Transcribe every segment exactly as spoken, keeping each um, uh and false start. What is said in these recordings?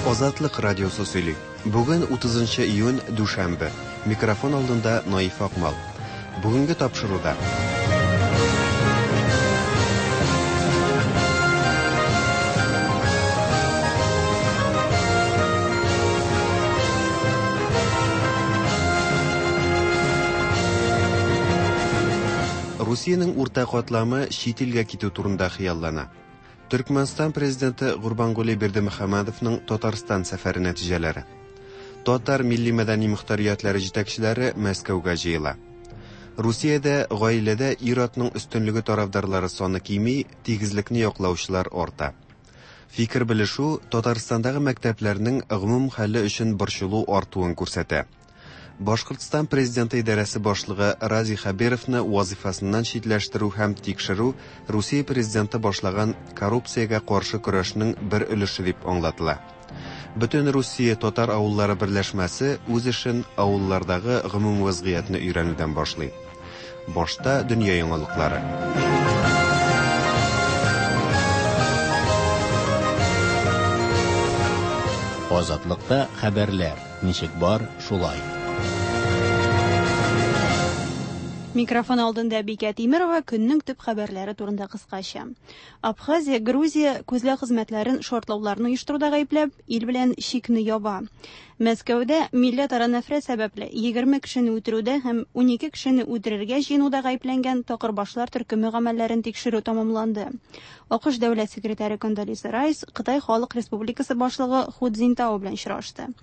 Азатлык радиосы сөйли. Бүген утызынчы июнь, дүшәмбе. Микрофон алдында Наиф Акмал. Бүгенге тапшыруда. Русиянең урта катламы чит илгә китү турында хыяллана. Төркмәнстан президенты Гурбангулы Бердымөхәммәдовның Татарстан сәфәре нәтиҗәләре. Татар милли мәдәни мөхтәриятләре җитәкчеләре Мәскәүгә җыела. Русиядә гаиләдә ир-атның өстенлеге тарафдарлары саны кими, тигезлекне яклаучылар арта. Фикер белешү Татарстандагы мәктәпләрнең гомум хәле өчен борчылу артуын күрсәтә. Башкортстан президенты идарәсе башлыгы Радий Хәбировны вазифасыннан читләштерү һәм тикшерү Русия президенты башлаган коррупциягә каршы көрәшнең бер өлеше дип аңлатыла. Бөтен Русия татар авыллары берләшмәсе үз эшен авыллардагы гомум вазгыятьне өйрәнүдән башлый. Башта дөнья яңалыклары. Азатлыкта хәбәрләр ничек бар, шулай. Микрофон алдында Бикә Тимирова көннең төп хәбәрләре турында кыскача. Абхазия, Грузия күзләү хезмәтләрен шартлауларны оештыруда гаепләп, ил белән чикне яба. Мәскәүдә милләтара нәфрәт сәбәпле егерме кешене үтерүдә һәм унике кешене үтерергә җыенуда гаепләнгән такырбашлар төркеме гамәлләрен тикшерү тәмамланды. АКШ дәүләт секретаре Кондолиза Райс Кытай Халык Республикасы башлыгы Ху Цзиньтао белән очрашты.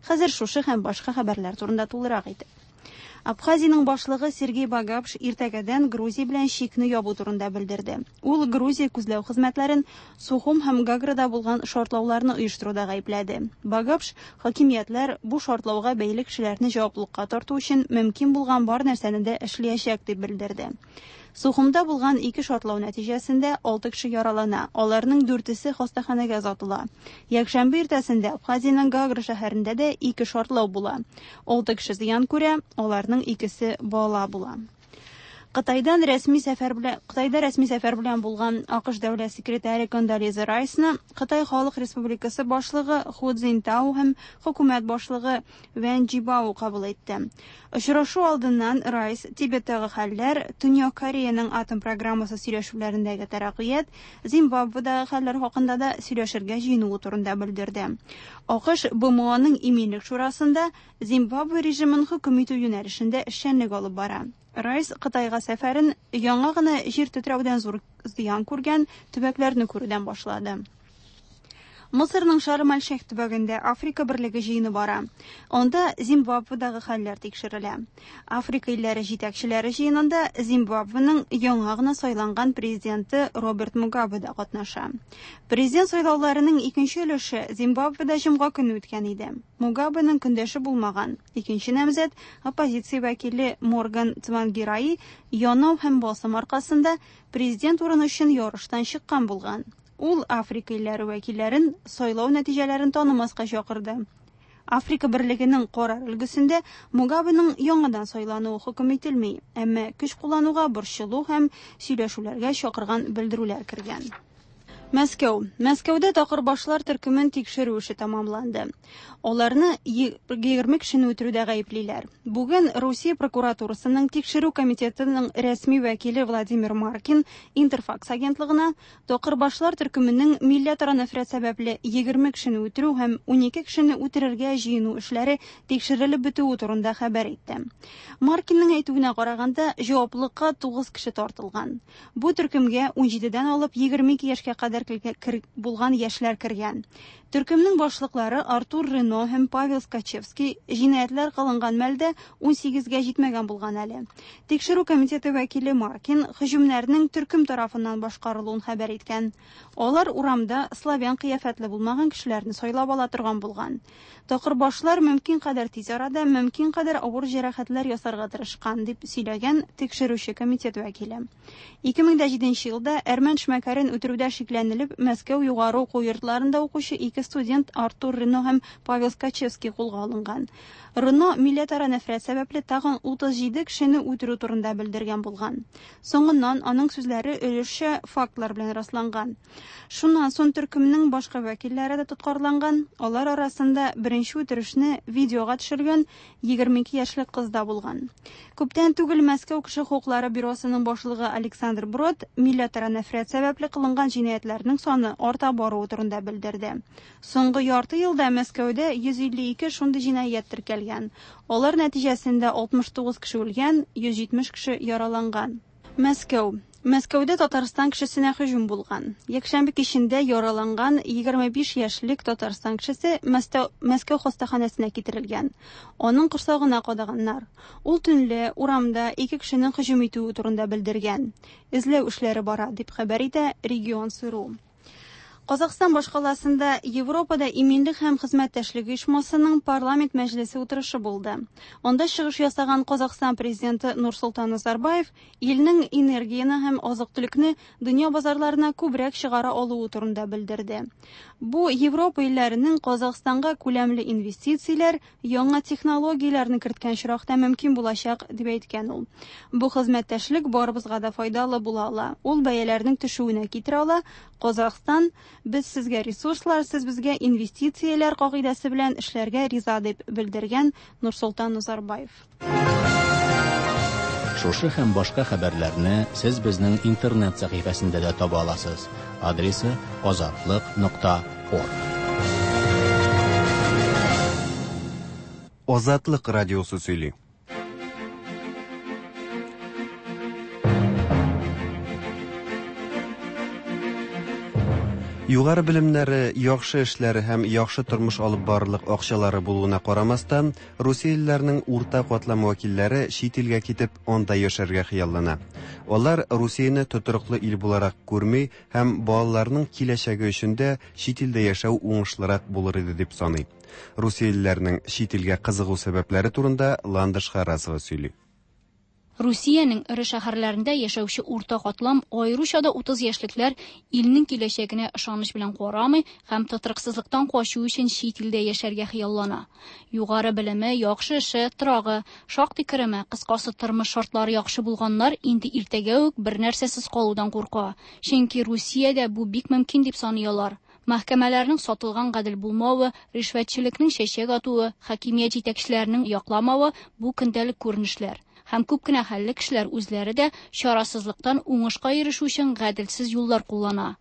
Хәзер шушы һәм башка хәбәрләр турында тулырак итеп. Абхазиянең башлыгы Сергей Багапш иртәгәдән Грузия белән чикне ябу турында белдерде. Ул Грузия күзләү хезмәтләрен Сухум һәм Гаграда булган шартлауларны оештыруда гаепләде. Багапш хакимиятләр бу шартлауга бәйле кешеләрне җаваплылыкка тарту өчен мөмкин булган бар нәрсәне дә эшләячәк дип белдерде. Сухумда булган ике шартлау нәтиҗәсендә алты кеше яралана, аларның дүртесе хастаханәгә озатыла. Якшәмбе иртәсендә Абхазиянең Гагра шәһәрендә дә ике шартлау була. Алты кеше зыян күрә, аларның икесе бала була. Кытайдан рәсми сәфәр белән Кытайда рәсми сәфәр белән булган АКШ дәүләт секретаре Кондолиза Райсны Кытай Халык Республикасы башлыгы Ху Цзиньтао һәм хөкүмәт башлыгы Вэн Джибао кабул итте. Очрашу алдыннан Райс Тибеттагы хәлләр, Төньяк Кореяның атом программасы сөйләшүләрендәге тәрәккыят, Зимбабведагы хәлләр хакында да сөйләшергә җыенуы турында белдерде. АКШ БМОның иминлек шурасында Зимбабве режимын хөкем итү юнәлешендә эшчәнлек алып бара. Райс Кытайга сәфәрен яңа гына җир тетрәүдән зур зыян күргән төбәкләрне күрүдән башлады. Мысырның Шарм-әл-Шейх төбәгендә Африка берлеге җыены бара. Анда Зимбабведагы хәлләр тикшерелә. Африка илләре җитәкчеләре җыенында Зимбабвеның яңа гына сайланган президенты Роберт Мугабе да катнаша. Президент сайлауларының икенче өлеше Зимбабведа җомга көне үткән иде. Мугабеның көндәше булмаган. Икенче намзәт оппозиция вәкиле Морган Цвангираи янау һәм басым аркасында президент урыны өчен ярыштан чыккан булган. Ул Африка илләре вәкилләрен сайлау нәтиҗәләрен танымаска чакырды. Африка берлегенең карар өлгесендә Мугабеның яңадан сайлануы хөкем ителми, әмма көч куллануга борчылу һәм сөйләшүләргә чакырган белдерүләр кергән. Мәскәү. Мәскәүдә такырбашлар төркемен тикшерү эше тәмамланды. Аларны егерме кешене үтерүдә гаеплиләр. Бүген Русия прокуратурасының тикшерү комитетының рәсми вәкиле Владимир Маркин Интерфакс агентлыгына такырбашлар төркеменең милләтара нәфрәт сәбәпле егерме кешене үтерү һәм унике кешене үтерергә җыену эшләре тикшерелеп бетүе турында хәбәр итте. Маркинның әйтүенә караганда, җаваплылыкка тугыз кеше тартылган. Бу төркемгә унҗидедән алып егерме ике яшькә кадәр булган яшьләр кергән. Төркемнең башлыклары Артур Рено һәм Павел Скачевский җинаятьләр кылынган мәлдә унсигезгә җитмәгән булган әле. Тикшерү комитеты вәкиле Маркин һөҗүмнәрнең төркем тарафыннан башкарылуын хәбәр иткән. Алар урамда славян кыяфәтле булмаган кешеләрне сайлап ала торган булган. Такырбашлар мөмкин кадәр тиз арада мөмкин кадәр авыр җәрәхәтләр ясарга тырышкан, дип сөйләгән тикшерүче комитет вәкиле. Ике мең дә җиденче елда әрмән эшмәкәрен үтерүдә шикләнү шикләнелеп, Мәскәү югары уку йортларында укучы ике студент Артур Рено һәм Павел Скачевский кулга алынган. Рено милләтара нәфрәт сәбәпле тагын утыз җиде кешене үтерү турында белдергән булган. Соңыннан аның сүзләре өлешчә фактлар белән расланган. Шуннан соң төркемнең башка вәкилләре дә тоткарланган. Алар арасында беренче үтерешне видеога төшергән егерме ике яшьлек кыз да булган. Күптән түгел Мәскәү кеше хокуклары бюросының башлыгы Александр Брод милләтара нәфрәт сәбәпле кылынган җинаятьләрнең саны арта баруы турында белдерде. Соңгы ярты елда Мәскәүдә йөз илле ике шундый җинаять теркәлгән. Алар нәтиҗәсендә алтмыш тугыз кеше үлгән, йөз җитмеш кеше яраланган. Мәскәү. Мәскәүдә Татарстан кешесенә һөҗүм булган. Якшәмбе кичендә яраланган егерме биш яшьлек Татарстан кешесе Мәскәү, Мәскәү хастаханәсенә китерелгән. Аның корсагына кадаганнар. Ул төнлә урамда ике кешенең һөҗүм итүе турында белдергән. Эзләү эшләре бара, дип хәбәр итә Регион Сыру. Казахстан башкаласында Европада иминлек һәм хезмәттәшлек оешмасының парламент мәҗлесе утырышы булды. Анда чыгыш ясаган Казахстан президенты Нурсултан Назарбаев илнең энергияне һәм азык-төлекне дөнья базарларына күбрәк чыгара алуы турында белдерде. Бу Европа илләренең Казахстанга күләмле инвестицияләр, яңа технологияләрне керткән очракта мөмкин булачак, дип әйткән ул. Бу хезмәттәшлек барыбызга да файдалы була ала. Ул бәяләрнең төшүенә китерә ала. Казахстан без сезгә ресурслар, сез безгә инвестицияләр кагыйдәсе белән эшләргә риза, дип белдергән Нурсултан Назарбаев. Шушы һәм башка хәбәрләрне сез безнең интернет сәхифәсендә дә таба аласыз. Адресы азатлык нокта орг. Азатлык радиосы сөйли. Югары белемнәре, яхшы эшләре һәм яхшы тормыш алып барырлык акчалары булуына карамастан, русиялеләрнең урта катлам вәкилләре чит илгә китеп, анда яшәргә хыяллана. Алар Русияне тотрыклы ил буларак күрми һәм балаларның киләчәге өчен дә чит илдә яшәү уңышлырак булыр иде дип саный. Русиялеләрнең чит илгә кызыгу сәбәпләре турында Ландыш Харасова сөйли. Русиянең эре шәһәрләрендә яшәүче урта катлам, аеруча да утыз яшьлекләр илнең киләчәгенә ышаныч белән карамый һәм тотрыксызлыктан качу өчен чит илдә яшәргә хыяллана. Югары белеме, яхшы эше, торагы, шактый кереме, кыскасы тормыш шартлары яхшы булганнар инде иртәгә үк бер нәрсәсез калудан курка. Чөнки Русиядә бу бик мөмкин дип саный алар. Мәхкәмәләрнең сатылган гадел булмавы, ришвәтчелекнең чәчәк атуы, хакимият җитәкчеләренең якламавы бу көндәлек күренешләр. Һәм күп кенә хәлле кешеләр үзләре дә чарасызлыктан уңышка ирешү өчен гаделсез юллар куллана.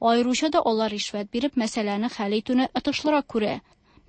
Аеруча да алар ришвәт биреп мәсьәләне хәл итүне отышлырак күрә.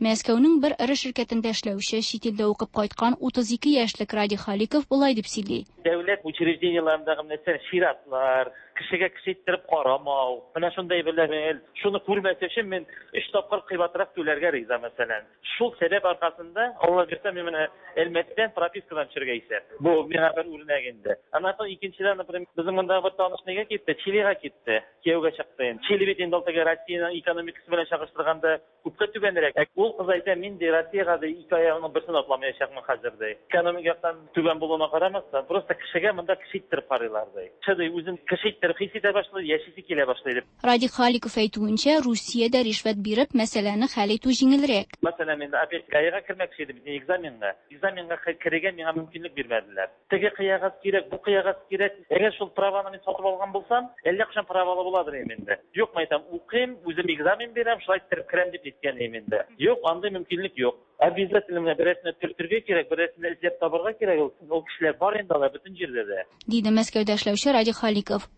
Мәскәүнең бер эре ширкәтендә эшләүче чит илдә укып кайткан утыз ике яшьлек Радий Халиков болай дип сөйли. Дәүләт учреждениеләрендәге нәрсә чиратлар, кешегә кеше иттереп карамау, менә шундай белән шуны күрмәс өчен мин өч тапкыр кыйбатрак түләргә риза, мәсәлән. Шул сәбәп аркасында Алла бирсә, мин менә Әлмәттән пропискадан төшергә исәп. Бу миңа бер үрнәк инде. Аннан соң икенчедән, например, безнең монда бер таныш нигә китте? Чилига китте. Кияүгә чыкты инде. Чили бит инде теге Россиянең экономикасы белән чагыштырганда күпкә түбәнрәк. Ә ул кыз әйтә, мин ди Россиягә ди ике аягымның берсен атламаячакмын хәзер ди. Экономик яктан түбән булуына карамастан, просто кешегә монда кеше иттереп карыйлар ди. Кеше ди үзен кеше иттереп хис итә башлый, яшисе килә башлый дип. Радий Халиков әйтүенчә, Русиядә ришвәт биреп мәсьәләне хәл итү җиңелрәк. Мәсәлән, мин опять ГАИга кермәкче идем, экзаменга. Экзаменга керергә миңа мөмкинлек бирмәделәр. Теге кыягаз кирәк, бу кыягаз кирәк. Әгәр шул праваны мин сатып алган булсам, әллә кайчан правалы буладыр идем инде. Юк, мен әйтәм, укыйм, үзем экзамен бирәм, шулай иттереп керәм дип әйткән идем инде. Юк, андый мөмкинлек юк. Обязательно менә берәрсенә төртергә кирәк, берәрсенә эзләп табарга кирәк. Ул, ул кешеләр бар инде алар бөтен җирдә дә. Диде Мәскәүдә эшләүче Радий Халиков.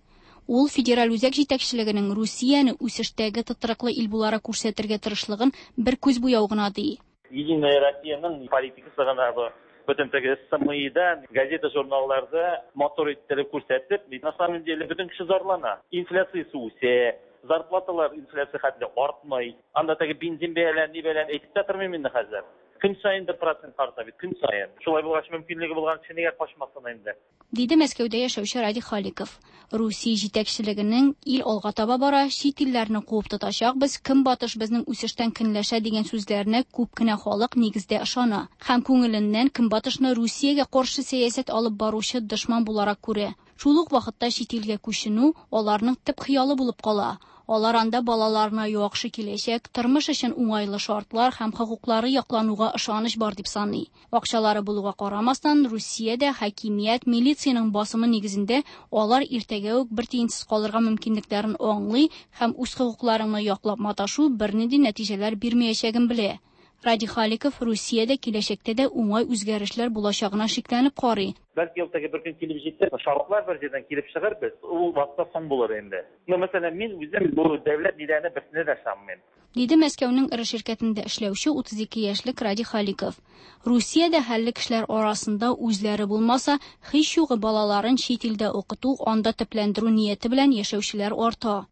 Ул федераль үзәк җитәкчелегенең Русияне үсештәге тотрыклы ил буларак күрсәтергә тырышлыгын бер күз буяу гына ди. Единая Россияның политикасы гына бу. Бөтен теге СМИда, газета, журналларда мотор иттереп күрсәтеп, на самом деле бөтен кеше зарлана. Инфляциясе үсә, зарплаталар инфляция хәтле артмый. Анда теге бензин бәяләре ни белән әйтеп тә тормыйм инде хәзер. Көн саен бер процент арта бит, көн саен. Шулай булгач мөмкинлеге булган кеше нигә качмасын инде? Диде Мәскәүдә яшәүче Радий Халиков. Русия җитәкчелегенең ил алга таба бара, чит илләрне куып тотачакбыз, көнбатыш безнең үсештән көнләшә дигән сүзләренә күп кенә халык нигездә ышана. Һәм күңеленнән көнбатышны Русиягә каршы сәясәт алып баручы дошман буларак күрә. Шул ук вакытта чит илгә күченү аларның төп хыялы булып кала. Алар анда балаларына яхшы киләчәк, тормыш өчен уңайлы шартлар һәм хокуклары яклануга ышаныч бар дип саный. Акчалары булуга карамастан, Русиядә хакимият, милициянең басымы нигезендә алар иртәгә үк бер тиенсез калырга мөмкинлекләрен аңлый һәм үз хокукларыңны яклап маташу бернинди нәтиҗәләр бирмәячәген белә. Радий Халиков Русиядә киләчәктә дә уңай үзгәрешләр булачагына шикләнеп карый. Бәлки ул теге бер көн килеп җитәр, шартлар бер җирдән килеп чыгар, без ул вакытта соң булыр инде. Ну, мәсәлән, мин үзем бу дәүләт ниләренә берсенә дә ышанмыйм. Диде Мәскәүнең эре ширкәтендә эшләүче утыз ике яшьлек Радий Халиков. Русиядә хәлле кешеләр арасында үзләре булмаса, һич югы балаларын чит илдә укыту, анда төпләндерү нияте белән яшәүчеләр арта.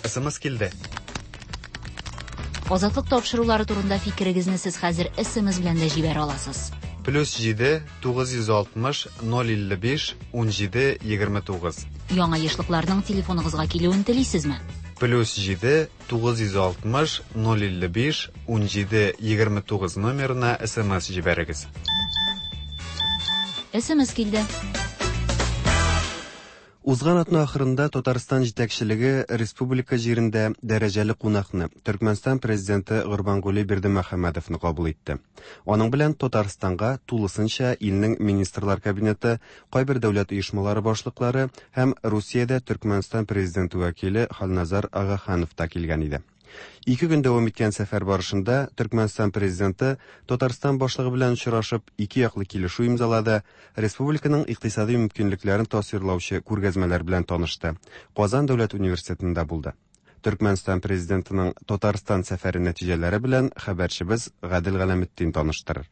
Эс эм эс килде. Азатлык тапшырулары турында фикерегезне сез хәзер эс эм эс белән дә җибәрә аласыз. Плюс җиде, тугыз йөз алтмыш, ноль илле биш, ун җиде, егерме тугыз. Яңа ешлыкларның телефоныгызга килүен телисезме? Плюс җиде, тугыз йөз алтмыш, ноль илле биш, ун җиде, егерме тугыз номерына эс эм эс җибәрегез. Эс эм эс килде. Узган атна ахырында Татарстан җитәкчелеге республика җирендә дәрәҗәле кунакны Төркмәнстан президенты Гурбангулы Бердымөхәммәдовны кабул итте. Аның белән Татарстанга тулысынча илнең министрлар кабинеты, кайбер дәүләт оешмалары башлыклары һәм Русиядә Төркмәнстан президенты вәкиле Халназар Агаханов та килгән иде. Ике көн дәвам иткән сәфәр барышында Төркмәнстан президенты Татарстан башлыгы белән очрашып, ике яклы килешү имзалады, республиканың икътисади мөмкинлекләрен тасвирлаучы күргәзмәләр белән танышты. Казан дәүләт университетында булды. Төркмәнстан президентының Татарстан сәфәре нәтиҗәләре белән хәбәрчебез Гадел Галәметдин таныштырыр.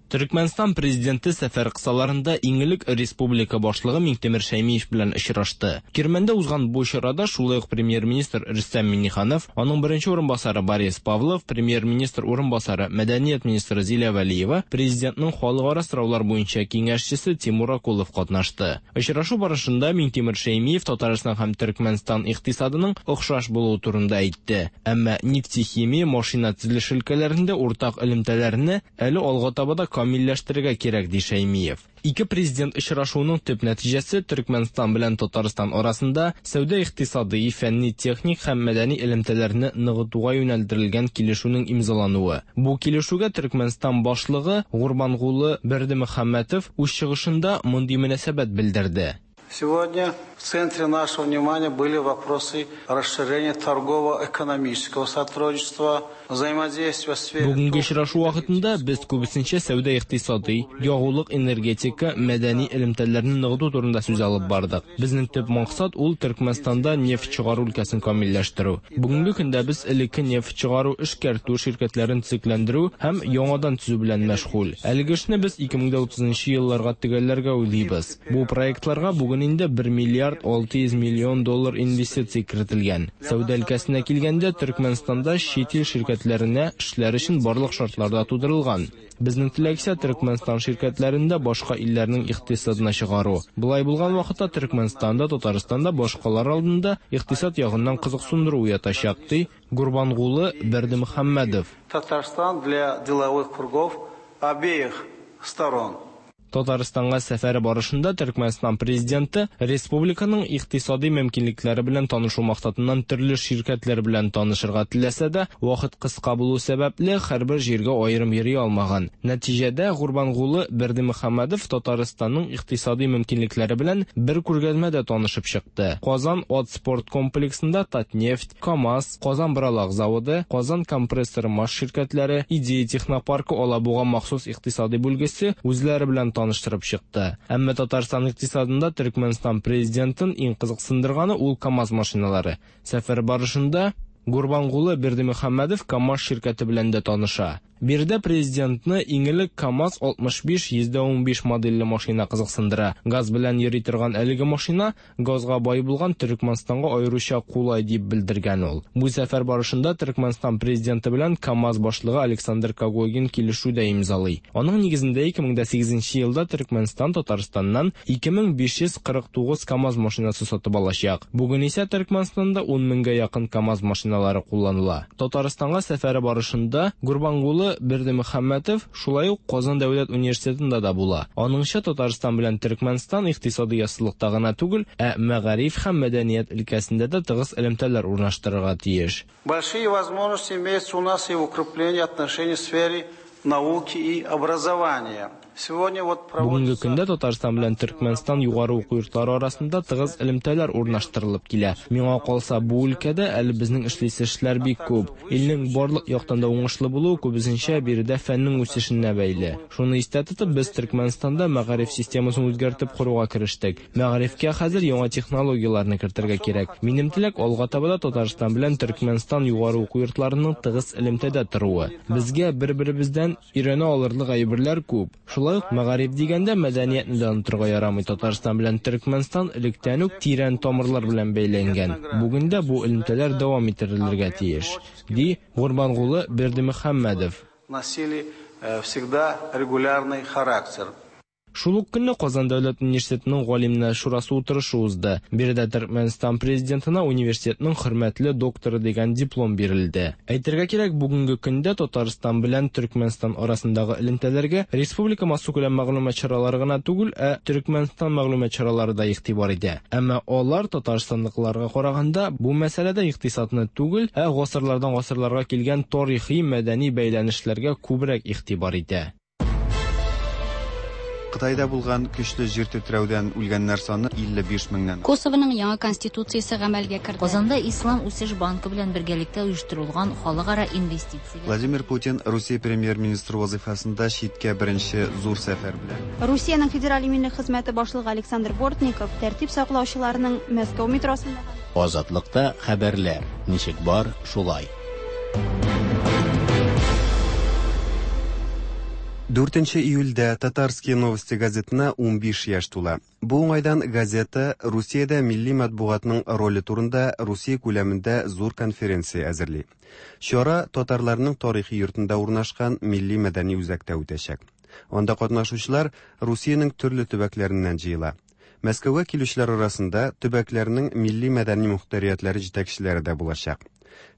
Төркмәнстан президенты сәфәр кысаларында иң элек республика башлыгы Миңтимер Шәймиев белән очрашты. Кирмәндә узган бу чарада шулай ук премьер-министр Рөстәм Миңнеханов, аның беренче урынбасары Борис Павлов, премьер-министр урынбасары мәдәният министры Зилә Вәлиева, президентның халыкара сораулар буенча киңәшчесе Тимур Акулов катнашты. Очрашу барышында Миңтимер Шәймиев Татарстан һәм Төркмәнстан икътисадының охшаш булуы турында әйтте. Әмма нефтехимия, машина төзелеше өлкәләрендә уртак элемтәләрне әле алга таба да камилләштерергә кирәк, ди Шәймиев. Ике президент очрашуының төп нәтиҗәсе Төркмәнстан белән Татарстан арасында сәүдә икътисади, фәнни, техник һәм мәдәни элемтәләрне ныгытуга юнәлдерелгән килешүнең имзалануы. Бу килешүгә Төркмәнстан башлыгы Гурбангулы Бердымөхәммәтов үз чыгышында мондый мөнәсәбәт белдерде. Сегодня в центре нашего внимания были вопросы расширения торгово-экономического сотрудничества, взаимодействия в сфере... Бүгенге очрашу вакытында без күбесенчә сәүдә икътисади, ягулык, энергетика, мәдәни элемтәләрне ныгыту турында сүз алып бардык. Безнең төп максат ул Төркмәнстанда нефть чыгару өлкәсен камилләштерү. Бүгенге көндә без элекке нефть чыгару, эшкәртү ширкәтләрен төзекләндерү һәм яңадан төзү белән мәшгуль. Әлеге эшне без ике мең дә утызынчы елларга төгәлләргә уйлыйбыз. Бу проектларга бүген инде бер миллиард алты йөз миллион доллар инвестиция кертелгән. Сәүдә өлкәсенә килгәндә, Төркмәнстанда чит ил ширкәтләренә эшләр өчен барлык шартлар да тудырылган. Безнең теләк исә Төркмәнстан ширкәтләрендә башка илләрнең икътисадына чыгару. Болай булган вакытта Төркмәнстанда, Татарстанда башкалар алдында икътисад ягыннан кызыксындыру уятачак, ди Гурбангулы Бердымөхәммәдов. Татарстан для деловых кругов обеих сторон. Татарстанга сәфәре барышында Төркмәнстан президенты республиканың икътисади мөмкинлекләре белән танышу максатыннан төрле ширкәтләр белән танышырга теләсә дә, вакыт кыска булу сәбәпле һәрбер җиргә аерым йөри алмаган. Нәтиҗәдә Гурбангулы Бердымөхәммәдов Татарстанның икътисади мөмкинлекләре белән бер күргәзмәдә танышып чыкты. Казан ат спорт комплексында Татнефть, КАМАЗ, Казан Бралак заводы, Казан компрессор маш ширкәтләре, Идея технопаркы Алабуга махсус икътисади бүлгесе үзләре белән таныштырып чыкты. Әмма Татарстан икътисадында Төркмәнстан президентын иң кызыксындырганы ул КАМАЗ машиналары. Сәфәр барышында Гурбангулы Бердымөхәммәдов КАМАЗ ширкәте белән дә таныша. Биредә президентны иң элек КАМАЗ алтмыш биш йөздә унбиш модельле машина кызыксындыра. Газ белән йөри торган әлеге машина газга бай булган Төркмәнстанга аеруча кулай дип белдергән ул. Бу сәфәр барышында Төркмәнстан президенты белән КАМАЗ башлыгы Александр Когогин килешү дә имзалый. Аның нигезендә ике мең дә сигезенче елда Төркмәнстан Татарстаннан ике мең биш йөз кырык тугыз КАМАЗ машинасы сатып алачак. Бүген исә Төркмәнстанда ун меңгә якын КАМАЗ машиналары кулланыла. Татарстанга сәфәре барышында Гурбангулы Гурбангулы Бердымөхәммәтов шулай ук Казан дәүләт университетында да була. Аныңча, Татарстан белән Төркмәнстан икътисади яссылыкта гына түгел, ә мәгариф һәм мәдәният өлкәсендә дә тыгыз элемтәләр урнаштырырга тиеш. Большие возможности имеются у нас и в укреплении отношений в сфере науки и образования. Сегодня вот Бүгенге көндә Татарстан белән Төркмәнстан югары уку йортлары арасында тыгыз элемтәләр урнаштырылып килә. Миңа калса, бу өлкәдә әле безнең эшлисе эшләр бик күп. Илнең барлык яктан да уңышлы булуы күбесенчә биредә фәннең үсешенә бәйле. Шуны истә тотып, без Төркмәнстанда мәгариф системасын үзгәртеп коруга керештек. Мәгарифкә хәзер яңа технологияләрне кертергә кирәк. Минем теләк алга таба да Татарстан белән Төркмәнстан югары уку йортларының тыгыз элемтәдә торуы. Безгә бер-беребездән өйрәнә алырлык әйберләр күп. Шулай ук мәгариф дигәндә мәдәниятне дә онытырга ярамый. Татарстан белән Төркмәнстан электән үк тирән тамырлар белән бәйләнгән. Бүген дә бу элемтәләр дәвам иттерелергә тиеш, ди Гурбангулы Бердымөхәммәдов. Носили всегда регулярный характер. Шул ук көнне Казан дәүләт университетының галимнәр шурасы утырышы узды. Биредә Төркмәнстан президентына университетның хөрмәтле докторы дигән диплом бирелде. Әйтергә кирәк, бүгенге көндә Татарстан белән Төркмәнстан арасындагы элемтәләргә республика массакүләм мәгълүмат чаралары гына түгел, ә Төркмәнстан мәгълүмат чаралары да игътибар итә. Әмма алар татарстанлыкларга караганда бу мәсьәләдә икътисадны түгел, ә гасырлардан гасырларга килгән тарихи мәдәни бәйләнешләргә күбрәк игътибар итә. Кытайда булган көчле җир тетрәүдән үлгәннәр саны илле биш меңнән. Косовоның яңа конституциясе гамәлгә керде. Казанда Ислам үсеш банкы белән бергәлектә оештырылган халыкара инвестицияләр. Владимир Путин Русия премьер-министры вазифасында читкә беренче зур сәфәр белән. Русиянең федераль иминлек хезмәте башлыгы Александр Бортников тәртип саклаучыларның Мәскәү метросында Азатлыкта хәбәрләр ничек бар, шулай. Дүртенче июльдә Татарские новости газетына унбиш яшь тула. Бу уңайдан газета Русиядә милли матбугатның роле турында Русия күләмендә зур конференция әзерли. Чара татарларның тарихи йортында урнашкан милли мәдәни үзәктә үтәчәк. Анда катнашучылар Русиянең төрле төбәкләреннән җыела. Мәскәүгә килүчеләр арасында төбәкләрнең милли мәдәни мөхтәриятләре җитәкчеләре дә булачак.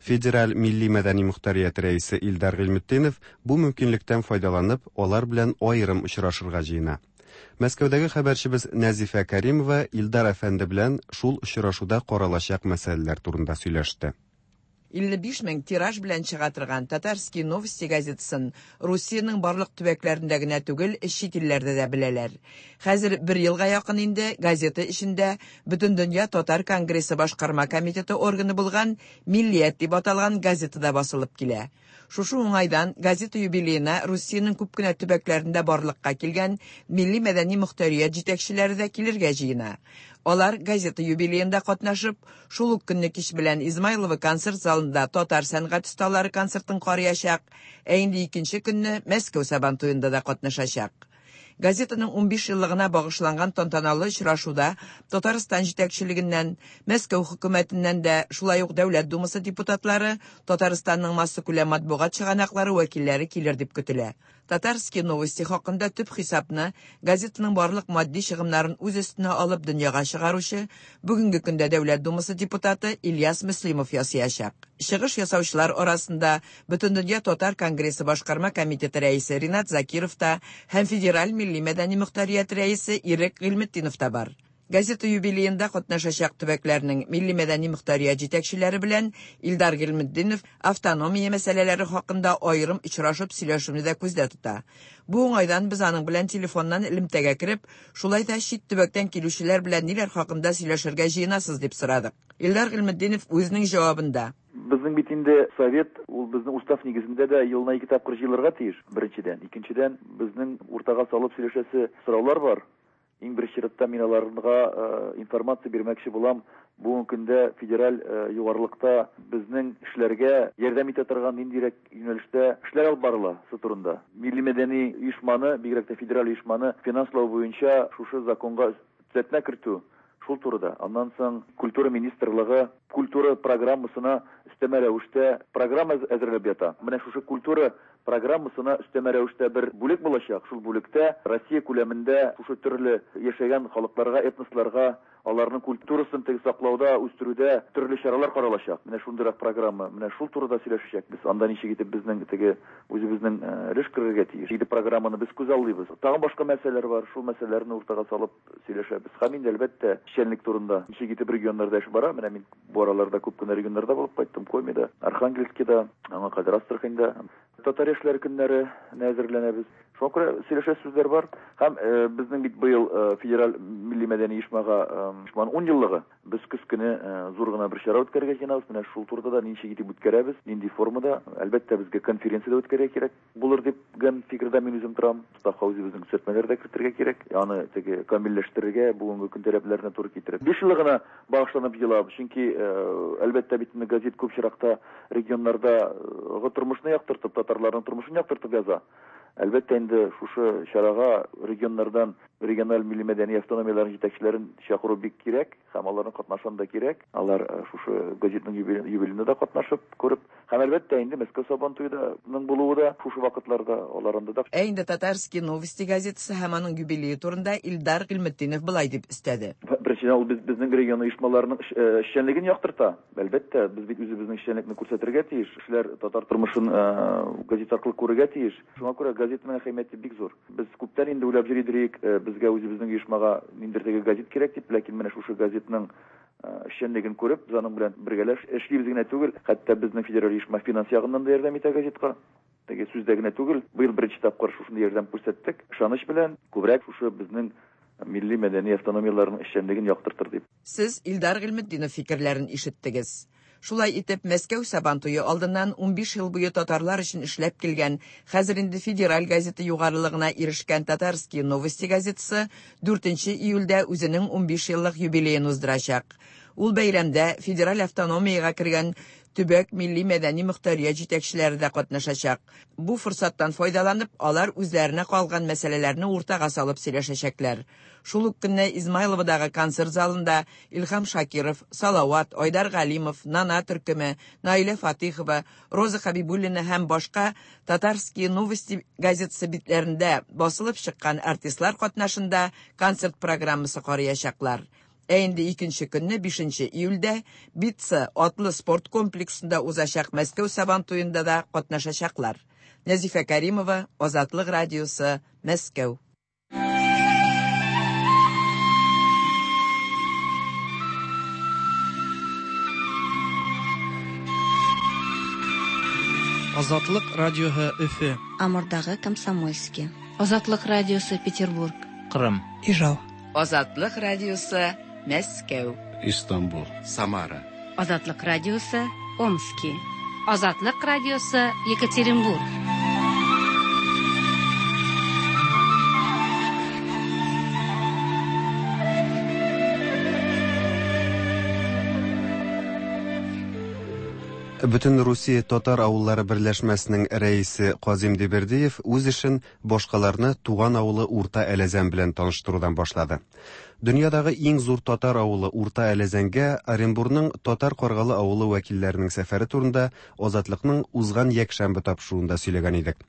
Федераль милли мәдәни мөхтәрият рәисе Илдар Гыйльметдинов бу мөмкинлектән файдаланып, алар белән аерым очрашырга җыена. Мәскәүдәге хәбәрчебез Нәзифә Каримова Илдар әфәнде белән шул очрашуда каралачак мәсьәләләр турында сөйләште. илле биш мең тираж белән чыга торган Татарские новости газетасын Русиянең барлык төбәкләрендә генә түгел, чит илләрдә дә беләләр. Хәзер бер елга якын инде газета эчендә Бөтендөнья Татар конгрессы башкарма комитеты органы булган Миллият дип аталган газетада басылып килә. Шушы уңайдан газета юбилеена Русиянең күп кенә төбәкләрендә барлыкка килгән милли мәдәни мөхтәрият җитәкчеләре дә килергә җыена. Алар газета юбилеенда катнашып, шул ук көнне кич белән Измайлово концерт залында татар сәнгать осталары концертын караячак, ә инде икенче көнне Мәскәү Сабантуенда да катнашачак. Газетаның унбиш еллыгына багышланган тантаналы очрашуда Татарстан җитәкчелегеннән, Мәскәү хөкүмәтеннән дә, шулай ук Дәүләт Думасы депутатлары, Татарстанның массакүләм матбугат чыганаклары вәкилләре килер дип көтелә. Татарские новости хакында төп хисапны газетаның барлык матди чыгымнарын үз өстенә алып дөньяга чыгаручы бүгенге көндә Дәүләт Думасы депутаты Ильяс Мөслимов ясаячак. Чыгыш ясаучылар арасында Бөтендөнья Татар конгрессы башкарма комитеты рәисе Ринат Закиров та һәм Федераль милли мәдәни мөхтәрият рәисе Ирек Гыйльметдинов та бар. Газета юбилеенда катнашачак төбәкләрнең милли мәдәни мөхтәрият җитәкчеләре белән Илдар Гыйльметдинов автономия мәсьәләләре хакында аерым очрашып сөйләшүне дә күздә тота. Бу уңайдан без аның белән телефоннан элемтәгә кереп, шулай да чит төбәктән килүчеләр белән ниләр хакында сөйләшергә җыенасыз дип сорадык. Илдар Гыйльметдинов үзенең җавабында: Безнең бит инде совет, ул безнең устав нигезендә дә елына ике тапкыр җыелырга тиеш, беренчедән. Икенчедән, безнең уртага салып сөйләшәсе сораулар бар. Иң беренче чиратта мин аларга информация бирмәкче булам. Бүгенге көндә федераль югарылыкта безнең эшләргә ярдәм итә торган ниндирәк юнәлештә эшләр алып барыла шу турында. Милли мәдәни оешманы, бигрәк тә федераль оешманы финанслау буенча шушы законга төзәтмә кертү шул турыда. Аннан соң культура министрлыгы Культура программасына өстәмә рәвештә программа әзерләп ята. Менә шушы культура программасына өстәмә рәвештә бер бүлек булачак. Шул бүлектә Россия күләмендә шушы төрле яшәгән халыкларга, этносларга аларның культурасын теге саклауда, үстерүдә төрле чаралар каралачак. Менә шундыйрак программа, менә шул турыда сөйләшәчәкбез. Анда ничек итеп безнең теге үзебезнең өлеш керергә тиеш. Инде программаны без күзаллыйбыз. Тагын башка мәсьәләләр бар, шул мәсьәләләрне уртага салып сөйләшәбез. Һәм инде әлбәттә эшчәнлек турында. Ничек итеп регионнарда эш бара? Менә мин бу араларда күп кенә регионнарда булып кайттым. Комида, Архангельскида, аңа кадәр Астраханьда. Татар яшьләр көннәре әзерләнәбез. Шуңа күрә сөйләшәсе сүзләр бар. Һәм безнең бит быел федераль милли мәдәни оешмага оешманың ун еллыгы. Без көз көне зур гына бер чара үткәрергә җыенабыз. Менә шул турыда да ничек итеп үткәрәбез, нинди формада. Әлбәттә, безгә конференция дә үткәрергә кирәк булыр дигән фикердә мин үзем торам. Уставка үзебезнең төзәтмәләр дә кертергә кирәк. Аны теге камилләштерергә, бүгенге көн таләпләренә туры китереп. Биш еллыгына багышланып елабыз. Чөнки әлбәттә бит газет күп чиракта регионнарда тормышны яктыртып, татарларның тормышын яктыртып яза. Әлбәттә инде шушы чарага регионнардан региональ милли мәдәни автономияләрнең җитәкчеләрен чакыру бик кирәк, һәм аларның катнашуын да кирәк. Алар шушы газетның юбилеенда да катнашып күреп, һәм әлбәттә инде Мәскәү Сабантуеның булуы да шушы вакытларда алар анда да. Ә инде Татарские новости газетасы һәм аның юбилее турында Илдар Гыйльметдинов былай дип өстәде. Беренчедән, ул безнең регион оешмаларының эшчәнлеген яктырта. Әлбәттә, без бит үзебезнең эшчәнлекне күрсәтергә тиеш. Кешеләр татар тормышын газет аркылы күрергә тиеш. Шуңа күрә газетның әһәмияте бик зур. Без күптән инде уйлап йөридек, безгә үзебезнең оешмага ниндидер теге газет кирәк дип, ләкин менә шушы газетның эшчәнлеген күреп, без аның белән бергәләп эшлибез генә түгел, хәтта безнең федераль оешма финанс ягыннан да ярдәм итә газетка. Теге сүздә генә түгел, быел беренче тапкыр шушындый ярдәм күрсәттек. Ышаныч белән күбрәк шушы безнең милли мәдәни автономияләрнең эшчәнлеген яктыртыр дип. Сез Илдар Гыйльметдинов фикерләрен ишеттегез. Шулай итеп, Мәскәү Сабантуе алдыннан ун биш ел буе татарлар өчен эшләп килгән, хәзер инде федераль газета югарылыгына ирешкән Татарские новости газетасы дүртенче июльдә үзенең ун биш еллык юбилеен уздырачак. Ул бәйрәмдә федераль автономиягә кергән төбәк милли мәдәни мөхтәрият җитәкчеләре дә катнашачак. Бу форсаттан файдаланып, алар үзләренә калган мәсьәләләрне уртага салып сөйләшәчәкләр. Шул ук көнне Измайловодагы концерт залында Илһам Шакиров, Салават, Айдар Галимов, Нана төркеме, Наилә Фатихова, Роза Хабибуллина һәм башка Татарские новости газетасы битләрендә басылып чыккан артистлар катнашында концерт программасы караячаклар. Ә инде икенче көнне, бишенче июльдә Битца атлы спорт комплексында узачак Мәскәү Сабантуенда да катнашачаклар. Нәзифә Каримова, Азатлык радиосы, Мәскәү. Азатлык радиосы Өфе. Амурдагы Комсомольский. Азатлык радиосы Петербург. Кырым. Ижау. Азатлык радиосы Мәскәү. Истанбул. Самара. Азатлык радиосы Омски. Азатлык радиосы Екатеринбург. Бөтен Русия татар авыллары берләшмәсенең рәисе Казим Дибердиев үз эшен башкаларны туган авылы Урта Әләзән белән таныштырудан башлады. Дөньядагы иң зур татар авылы Урта Әләзәнгә Оренбурның Татар Каргалы авылы вәкилләренең сәфәре турында Азатлыкның узган якшәмбе тапшыруында сөйләгән идек.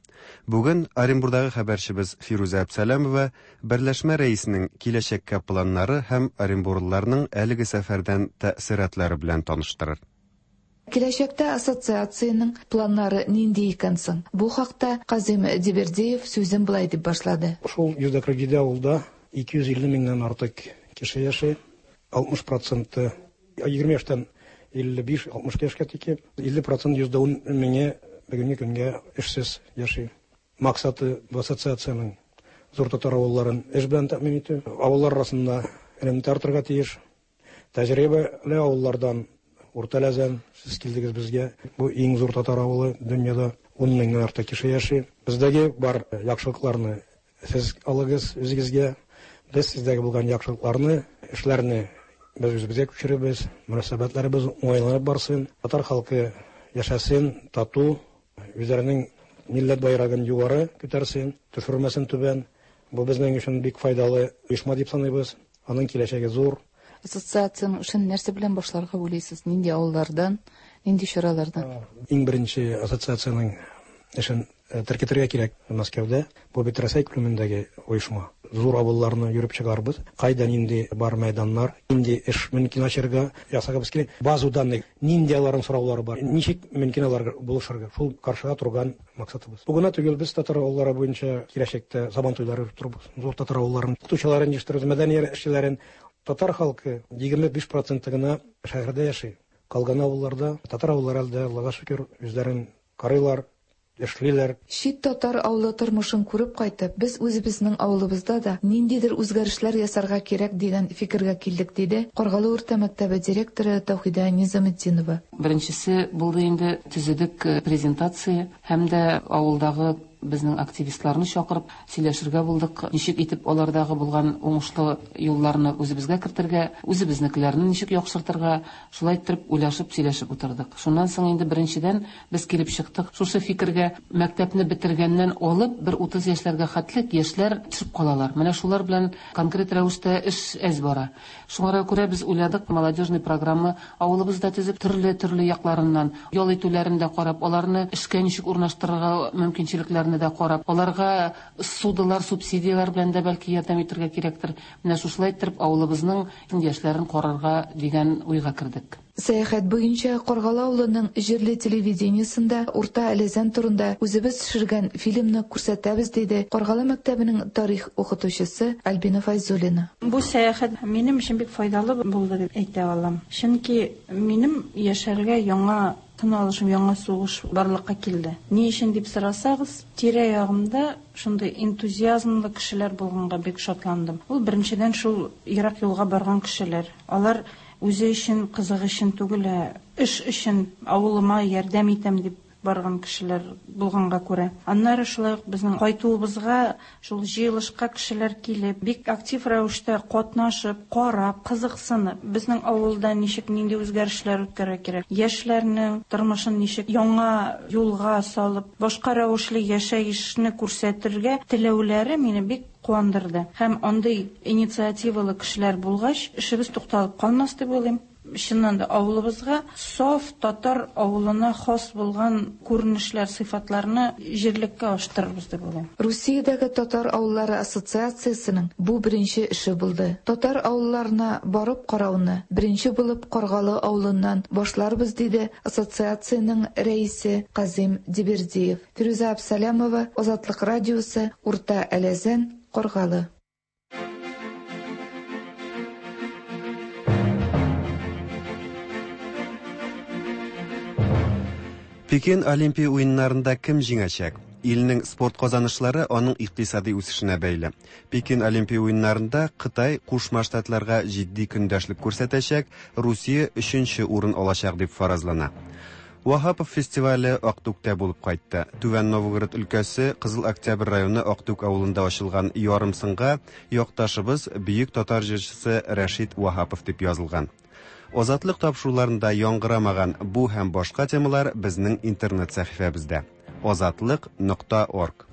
Бүген Оренбурдагы хәбәрчебез Фирүзә Әбсәләмова берләшмә рәисенең киләчәккә планнары һәм оренбурлыларның әлеге сәфәрдән тәэсиратлары белән таныштырыр. Киләчәктә ассоциациянең планнары нинди икән соң? Бу хакта Казим Дибердиев сүзен былай дип башлады. Шул йөз дә кырык җиде авылда ике йөз илле меңнән артык кеше яши. алтмыш проценты егерме яшьтән илле биш алтмыш яшькә тиклем, илле процент йөз дә ун меңе бүгенге көнгә эшсез яши. Максаты бу ассоциациянең зур татар авылларын эш белән тәэмин итү, авыллар арасында элемтә артырга тиеш. Тәҗрибәле авыллардан Урта Әләзән, сез килдегез безгә. Бу иң зур татар авылы дөньяда, ун меңнән артык кеше яши. Бездәге бар яхшылыкларны сез алыгыз үзегезгә. Без сездәге булган яхшылыкларны, эшләрне без үзебезгә күчеребез, мөнәсәбәтләребез уңайланып барсын. Татар халкы яшәсен, тату, үзләренең милләт байрагын югары күтәрсен, төшермәсен түбән. Бу безнең өчен бик файдалы оешма дип саныйбыз. Аның киләчәге зур. Ассоциациянең эшен нәрсә белән башларга уйлыйсыз? Нинди авыллардан, нинди чаралардан? Иң беренче ассоциациянең эшен теркетергә кирәк Мәскәүдә. Бу бит Рәсәй күләмендәге оешма. Зур авылларны йөреп чыгарбыз. Кайда нинди бар мәйданнар, нинди эш мөмкин ачарга, ясагыбыз килә. База данных, нинди аларның сораулары бар, ничек мөмкин аларга булышырга. Шул каршыга торган максатыбыз. Бу гына түгел, без татар авыллары буенча киләчәктә сабан туйлары оештырабыз. Зур татар авылларын, укытучыларын җыештырабыз, мәдәният эшчеләрен. Татар халкы егерме биш проценты гына шәһәрдә яши. Калган авылларда татар авыллары әлдә, Аллага шөкер, үзләрен карыйлар, эшлиләр. Чит татар авылы тормышын күреп кайтып, без үзебезнең авылыбызда да ниндидер үзгәрешләр ясарга кирәк дигән фикергә килдек, диде Каргалы урта мәктәбе директоры Таухида Низаметдинова. Беренчесе булды инде, төзедек презентация һәм дә авылдагы безнең активистларны чакырып сөйләшергә булдык. Ничек итеп алардагы булган уңышлы юлларны үзебезгә кертергә, үзебезнекеләрне ничек яхшыртырга, шулай итеп уйлашып сөйләшеп утырдык. Шуннан соң инде беренчедән без килеп чыктык шушы фикергә: мәктәпне бетергәннән алып бер утыз яшьләргә хәтлек яшьләр төшеп калалар. Менә шулар белән конкрет рәвештә эш әз бара. Шуңа күрә без уйладык, молодежный программа авылыбызда төзеп, төрле-төрле якларыннан ял итүләрен дә карап, аларны эшкә ничек урнаштырырга мөмкинчелекләрен дә карап, аларга судылар, субсидияләр белән дә бәлки ярдәм итәргә кирәктер. Менә шушылай итеп авылыбызның яшьләрен карарга дигән уйга кердек. Сәяхәт буенча Каргалы авылының җирле телевидениесендә Урта Әләзән турында үзебез төшергән фильмны күрсәтәбез, диде Каргалы мәктәбенең тарих укытучысы Альбина Файзуллина. Бу сәяхәт минем өчен бик файдалы булды дип әйтә алам. Чөнки минем яшәргә яңа тын алышым, яңа сугыш барлыкка килде. Ни өчен дип сорасагыз, тирә-ягымда шундый энтузиазмлы кешеләр булганга бик шатландым. Ул беренчедән шул ерак юлга барган кешеләр. Алар үзе өчен, кызык өчен түгел, ә эш өчен, авылыма ярдәм итәм дип барган кешеләр булганга күрә. Аннары шулай ук безнең кайтуыбызга, шул җыелышка кешеләр килеп, бик актив рәвештә катнашып, карап, кызыксынып, безнең авылда ничек нинди үзгәрешләр үткәрергә кирәк, яшьләрнең тормышын ничек яңа юлга салып, башка рәвешле яшәешне күрсәтергә теләүләре мине бик куандырды. Һәм андый инициативалы кешеләр булгач, эшебез тукталып калмас дип уйлыйм. Чыннан да авылыбызга саф татар авылына хас булган күренешләр, сыйфатларны җирлеккә аштырырбыз дип уйлыйм. Русиядәге татар авыллары ассоциациясенең бу беренче эше булды. Татар авылларына барып карауны беренче булып Каргалы авылыннан башларбыз, диде ассоциациянең рәисе Казим Дибердиев. Фирүзә Абсалямова, Азатлык радиосы, Урта Әләзән, Каргалы. Пекин Олимпия уеннарында кем җиңәчәк? Илнең спорт казанышлары аның икътисади үсешенә бәйле. Пекин Олимпия уеннарында Кытай Кушма Штатларга җитди көндәшлек күрсәтәчәк, Русия өченче урын алачак дип фаразлана. Ваһапов фестивале Актүктә булып кайтты. Түбән Новгород өлкәсе Кызыл Октябрь районы Актүк авылында ачылган ярымсынга якташыбыз бөек татар җырчысы Рәшит Ваһапов дип язылган. Азатлык тапшыруларында яңгырамаган бу һәм башка темалар безнең интернет сәхифәбездә. азатлык нокта орг.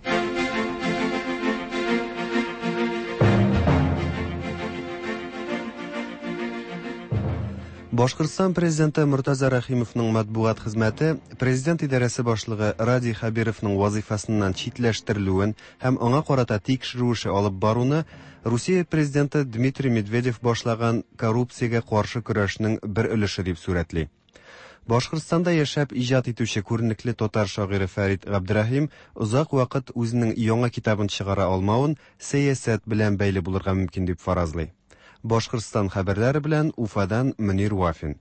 Башкортстан президенты Муртаза Рәхимовның матбугат хезмәте президент идарәсе башлыгы Радий Хәбировның вазифасыннан читләштерелүен һәм аңа карата тикшерү эше алып баруны Русия президенты Дмитрий Медведев башлаган коррупциягә каршы көрәшнең бер өлеше дип сурәтли. Башкортстанда яшәп иҗат итүче күренекле татар шагыйре Фәрит Габдрәхим озак вакыт үзенең яңа китабын чыгара алмавын сәясәт белән бәйле булырга мөмкин дип фаразлый. Башкортстан хәбәрләре белән Уфадан Мөнир Вафин.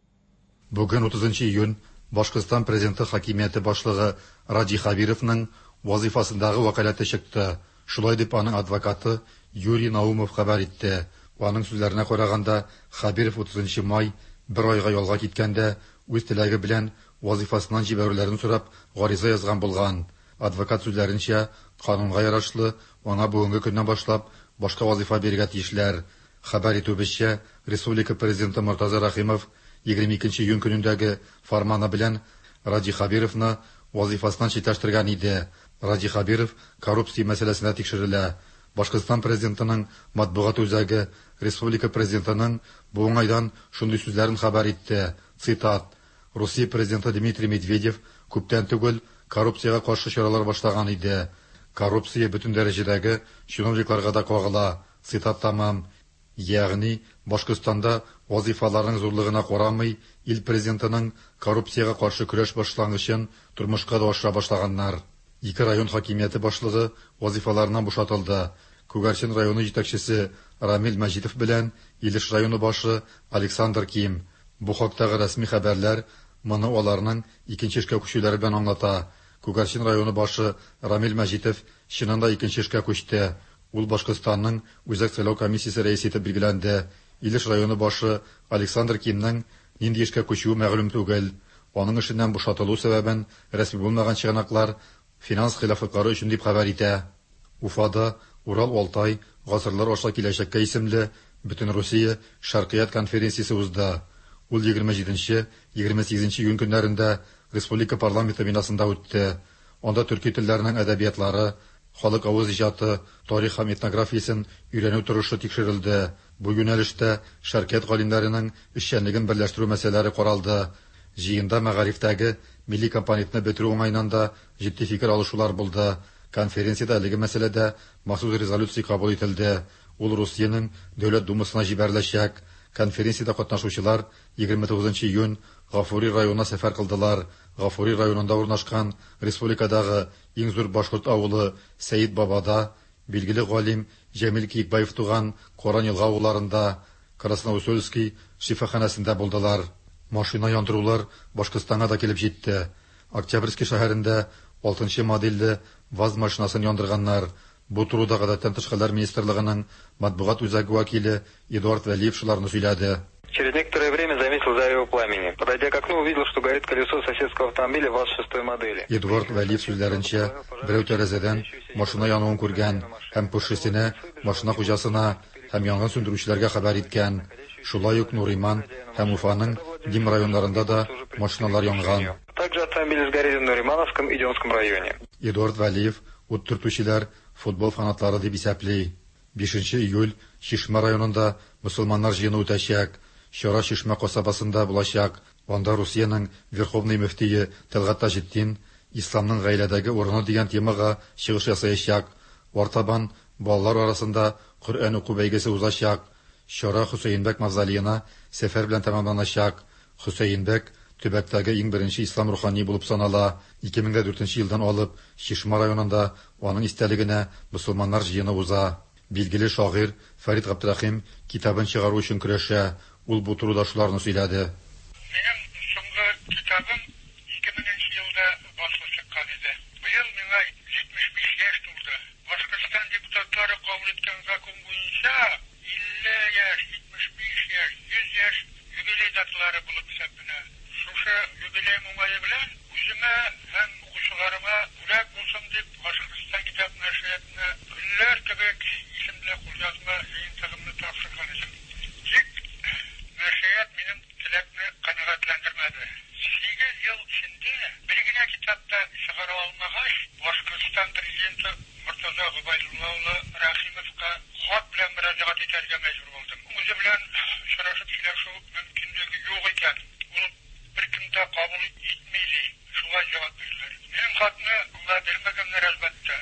Бүген утызынчы июнь Башкортстан президенты хакимияте башлыгы Радий Хәбировның вазифасындагы вәкаләте чыкты. Шулай дип аның адвокаты Юрий Наумов хәбәр итте. Аның сүзләренә караганда, Хәбиров утызынчы май бер айга ялга киткәндә үз теләге белән вазифасыннан җибәрүләрен сорап гариза язган булган. Адвокат сүзләренчә, канунга ярашлы аңа бүгенге көннән башлап башка вазифа бирергә тиешләр. Хәбәр итүебезчә, Республика президенты Муртаза Рәхимов егерме икенче июнь көнендәге фарманы белән Радий Хәбировны вазифасыннан читләштергән иде. Радий Хәбиров коррупция мәсьәләсендә тикшерелә. Башкортстан президентының матбугат үзәге республика президентының бу уңайдан шундый сүзләрен хәбәр итте. Цитат: Русия президенты Дмитрий Медведев күптән түгел коррупциягә каршы чаралар башлаган иде. Коррупция бөтен дәрәҗәдәге чиновникларга да кагыла. Цитат тамам. Ягъни Башкортстанда вазифаларның зурлыгына карамый, ил президентының коррупциягә каршы көрәш башлангычын тормышка да ашыра башлаганнар. Ике район хакимияте башлыгы вазифаларыннан бушатылды. Күгәрчен районы җитәкчесе Рамил Мәҗитов белән Илеш районы башы Александр Ким. Бу хактагы рәсми хәбәрләр моны аларның икенче эшкә күчүләре белән аңлата. Күгәрчен районы башы Рамил Мәҗитов чыннан да икенче эшкә күчте. Ул Башкортстанның Үзәк сайлау комиссиясе рәисе итеп билгеләнде. Илеш районы башы Александр Кимнең нинди эшкә күчүе мәгълүм түгел. Аның эшеннән бушатылу сәбәбен рәсми булмаган чыганаклар финанс хилафлыклары өчен дип хәбәр итә. Уфада Урал-Алтай гасырлар аша киләчәккә исемле Бөтенрусия Шәркыят конференциясе узды. Ул егерме җиденче, егерме сигезенче июнь көннәрендә республика парламенты бинасында үтте. Анда төрки телләренең әдәбиятлары, халык авыз иҗаты, тарих һәм этнографиясен өйрәнү торышы тикшерелде. Бу юнәлештә шәркыят галимнәренең эшчәнлеген берләштерү мәсьәләләре каралды. Җыенда мәгарифтәге милли компонентны бетерү уңаеннан да җитди фикер алышулар булды. Конференциядә әлеге мәсьәләдә махсус резолюция кабул ителде. Ул Русиянең Дәүләт Думасына җибәреләчәк. Конференциядә катнашучылар егерме тугызынчы июнь Гафури районына сәфәр кылдылар. Гафури районында урнашкан республикадагы иң зур башкорт авылы Сәид Бабада билгеле галим Җәмил Киекбаев туган Каран елга авылларында, Красноусольский шифаханәсендә булдылар. Машина яндырулар Башкортстанга да килеп җитте. Октябрьский шәһәрендә алтынчы модельле ВАЗ машинасын яндырганнар. Бу турыда Гадәттән тыш хәлләр министрлыгының матбугат үзәге вәкиле Эдуард Вәлиев шуларны сөйләде. Через некоторое время заметил зарево пламени. Подойдя к окну, увидел, что горит колесо соседского автомобиля ВАЗ шестой модели. Эдуард Вәлиев сүзләренчә, берәү тәрәзәдән машина януын күргән һәм күршесенә, машина хуҗасына һәм янгын сүндерүчеләргә хәбәр иткән. Шулай ук Нуриман һәм Уфаның Дим районнарында да машиналар янган. Также автомобили сгорели в Нуримановском и Демском районе. Эдуард Вәлиев ут төртүчеләр футбол фанатлары дип исәпли. бишенче июль Чишмә районында мөселманнар җыены үтәчәк. Чара Чишмә касабасында булачак. Анда Русиянең Верховный мөфтие Тәлгать Таҗетдин Исламның гаиләдәге урыны дигән темага чыгыш ясаячак. Артабан балалар арасында Коръән уку бәйгесе узачак. Чара Хөсәенбәк мавзолеена сәфәр белән тәмамланачак. Хөсәенбәк төбәктәге иң беренче ислам рухани булып санала. ике мең дүртенче елдан алып Чишмә районында аның истәлегенә мөселманнар җыены уза. Билгеле шагыйрь Фәрит Габдрәхим китабын чыгару өчен көрәшә. Ул бу турыда шуларны сөйләде. Минем соңгы китабым ике меңенче елда басылып чыккан иде. Быел миңа җитмеш биш яшь тулды. Башкортстан депутатлары кабул иткән закон буенча илле яшь, җитмеш биш яшь, йөз яшь юбилей даталары булып исәпләнә. Шушы юбилей уңае белән үземә һәм укучыларыма бүләк булсын дип Башкортстан китап нәшриятына Гөлләр кебек исемле кулъязма җыентыгымны тапшырган идем. Тик нәшрият минем теләкне канәгатьләндермәде. Сигез ел эчендә бер генә китап та чыгара алмагач, Башкортстан президенты Мортаза Гобәйдулла улы Рәхимовка хат белән мөрәҗәгать итәргә мәҗбүр булдым. Үзе белән очрашып сөйләшү мөмкинлеге юк икән. Ул беркем дә кабул итми ди. Шулай җавап бирделәр. Минем хатны аңа бирмәгәннәр әлбәттә.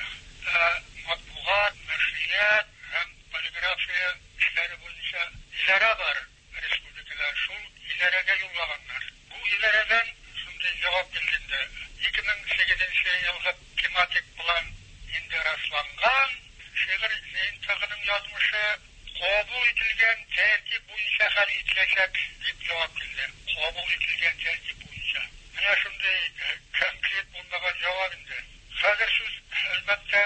Ә матбугат, нәшрият һәм полиграфия эшләре буенча идарә бар республикада. Шул идарәгә юллаганнар. Бу идарәдән шундый җавап килде инде. ике мең сигезенче елгы тематик план инде расланган. Шигырь җыентыгының язмышы кабул ителгән тәртип буенча хәл ителәчәк дип җавап килде. Кабул ителгән тәртип буенча. Менә шундый конкрет булмаган җавап инде. Хәзер сүз әлбәттә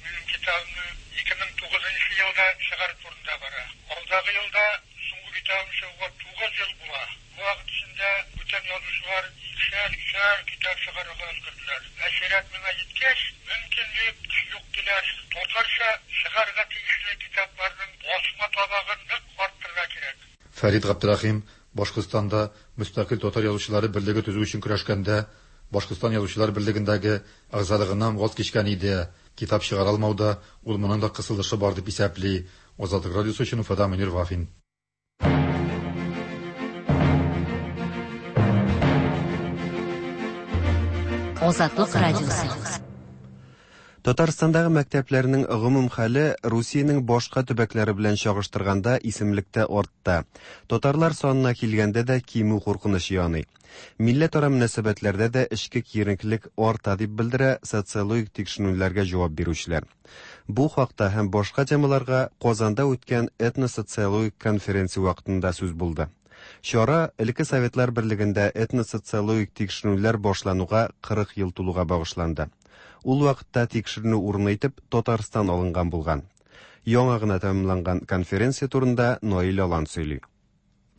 минем китабымны ике мең тугызынчы елда чыгару турында бара. Алдагы елда соңгы китабым чыгуга тугыз ел була. Бу вакыт эчендә бүтән язучылар икешәр, өчәр китап чыгарырга өлгерделәр. Ә чират миңа җиткәч, мөмкинлек юк диләр. Татарча чыгарырга тиешле китапларның басма табагын нык арттырырга кирәк. Фәрит Габдрәхим Башкортстанда мөстәкыйль татар язучылары берлеге төзү өчен көрәшкәндә Башкортстан язучылар берлегендәге әгъзалыгыннан ваз кичкән иде. Китап чыгара алмауда ул моның да кысылышы бар дип исәпли. Азатлык радиосы өчен Уфада Мөнир Вафин. Азатлык радиосы. Татарстандагы мәктәпләрнең гомум хәле Русиянең башка төбәкләре белән чагыштырганда исемлектә артта. Татарлар санына килгәндә дә кимү куркынычы яный. Милләтара мөнәсәбәтләрдә дә эчке киеренкелек арта дип белдерә социологик тикшеренүләргә җавап бирүчеләр. Бу хакта һәм башка темаларга Казанда үткән этносоциологик конференция вакытында сүз булды. Чара элекке Советлар Берлегендә этносоциологик тикшеренүләр башлануга кырык ел тулуга багышланды. Ул вакытта тикшеренү урыны итеп Татарстан алынган булган. Яңа гына тәмамланган конференция турында Наил Алан сөйли.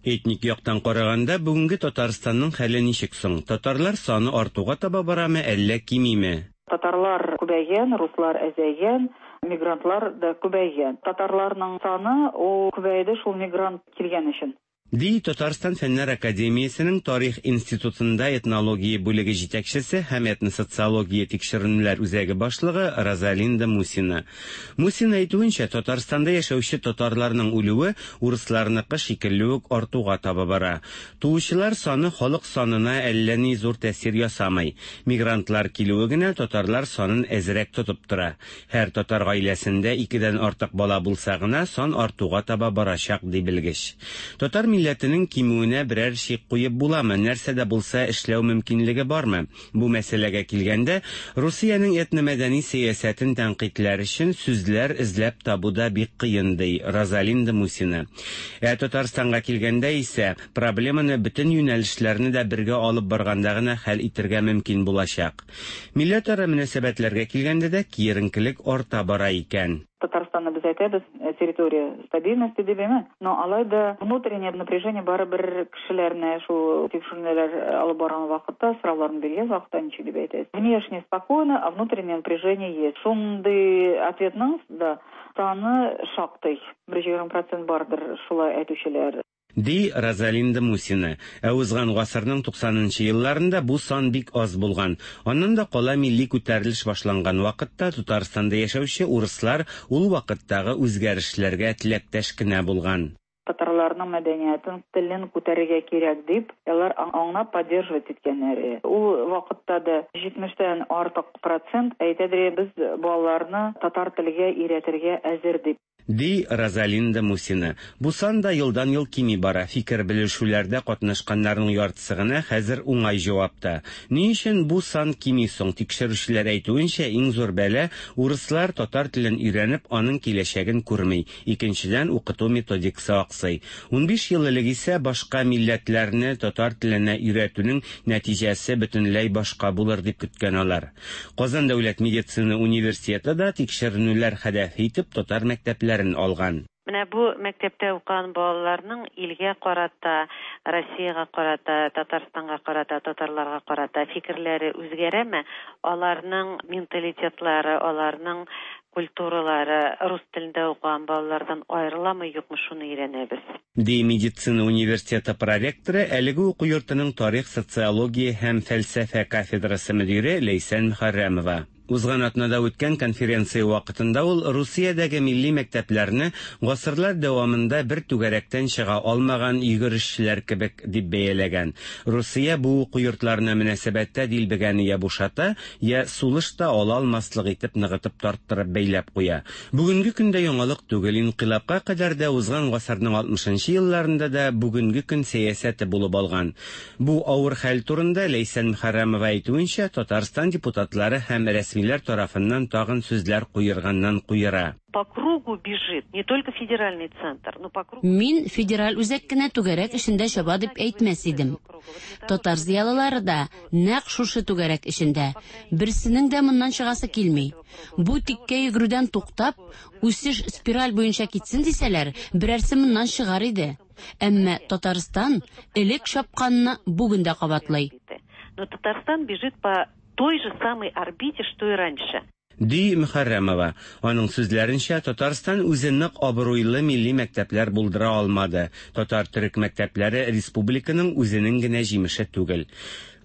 Этник яктан караганда бүгенге Татарстанның хәле ничек соң? Татарлар саны артуга таба барамы, әллә кимиме? Татарлар күбәйгән, руслар әзәйгән, мигрантлар да күбәйгән. Татарларның саны ул күбәйде шул мигрант килгән өчен. Ди Татарстан Фәннәр Академиясенең Тарих институтында этнология бүлеге җитәкчесе һәм этносоциология тикшеренүләр үзәге башлыгы Розалинда Мусина. Мусина әйтүенчә, Татарстанда яшәүче татарларның үлүе урысларныкы шикелле үк артуга таба бара. Туучылар саны халык санына әллә ни зур тәэсир ясамый. Мигрантлар килүе генә татарлар санын әзрәк тотып тора. Һәр татар гаиләсендә икедән артык бала булса гына сан артуга таба барачак, ди белгеч. Татар милләтенең кимүенә берәр шик куеп буламы, нәрсә дә булса эшләү мөмкинлеге бармы? Бу мәсьәләгә килгәндә, Русиянең этномәдәни сәясәтен тәнкыйтьләр өчен сүзләр эзләп табу да бик кыен, ди Розалинда Мусина. Ә Татарстанга килгәндә исә, проблеманы бөтен юнәлешләрне дә бергә алып барганда гына хәл итәргә мөмкин булачак. Милләтара мөнәсәбәтләргә килгәндә дә киеренкелек арта бара икән. Татарстанны без әйтәбез, территория стабильности дибеме, но алай да внутреннее напряжение барыбер кешеләрне шул тикшеренүләр алып барган вакытта, сорауларны биргән вакытта ничек дип әйтәсез. Внешне спокойно, а внутреннее напряжение есть. Шундый ответның да саны шактый, бер егерме процент бардыр шулай әйтүчеләр. Ди Розалинда Мусина. Ә узган гасырның туксанынчы елларында бу сан бик аз булган. Аннан да кала милли күтәрелеш башланган вакытта Татарстанда яшәүче урыслар ул вакыттагы үзгәрешләргә теләктәш кенә булган. Татарларның мәдәниятен, телен күтәрергә кирәк дип, алар аңлап поддерживать иткәннәр. Ул вакытта да җитмештән артык процент әйтәдер, без балаларны татар телгә өйрәтергә әзер дип. Ди Розалинда Мусина. Бу сан да елдан-ел кими бара. Фикер белешүләрдә катнашканнарның яртысы гына хәзер уңай җавапта. Ни өчен бу сан кими соң? Тикшерүчеләр әйтүенчә, иң зур бәла урыслар татар телен өйрәнеп, аның киләчәген күрми. Икенчедән, укыту методикасы аксый. Унбиш ел элек исә башка милләтләрне татар теленә өйрәтүнең нәтиҗәсе бөтенләй башка булыр дип көткән алар. Казан дәүләт медицина университеты да тикшеренүләр һәдәфе итеп татар мәктәпләре алган. Менә бу мәктәптә укыган балаларның илгә карата, Россиягә карата, Татарстанга карата, татарларга карата фикерләре үзгәрәме? Аларның менталитетлары, аларның культуралары рус телендә укыган балалардан аерыламы, юкмы, шуны өйрәнәбез. Ди медицина университеты проректоры, әлеге уку йортының тарих, социология һәм фәлсәфә кафедрасы мөдире Ләйсән Мөхәррәмова. Узган атнада үткән конференция вакытында ул Русиядәге милли мәктәпләрне гасырлар дәвамында бер түгәрәктән чыга алмаган йөгерешчеләр кебек дип бәяләгән. Русия бу уку йортларына мөнәсәбәттә дилбегәне я бушата, я сулыш та ала алмаслык итеп ныгытып тарттырып бәйләп куя. Бүгенге көндә яңалык түгел, инкыйлабка кадәр дә узган гасырның алтмышынчы елларында да бүгенге көн сәясәте булып алган. Бу авыр хәл турында Ләйсән Мөхәррәмова әйтүенчә, Татарстан депутатлары һәм рәсми тарафыннан тагын сүзләр куерганнан куера. По кругу бежит не только федеральный центр, но по кругу. Мин федераль үзәк кенә түгәрәк эчендә чаба дип әйтмәс идем. Татар зыялылары да нәкъ шушы түгәрәк эчендә. Берсенең дә моннан чыгасы килми. Бу тиккә йөгерүдән туктап, үсеш спираль буенча китсен дисәләр, берәрсе моннан чыгар иде. Әмма Татарстан элек чапканны бүген дә кабатлый. Но Татарстан бежит по той же самой орбите, что и раньше. Ди Мөхәррәмова. Аның сүзләренчә, Татарстан үзе нык абруйлы милли мәктәпләр булдыра алмады. Татар төрек мәктәпләре республиканың үзенең генә җимеше түгел.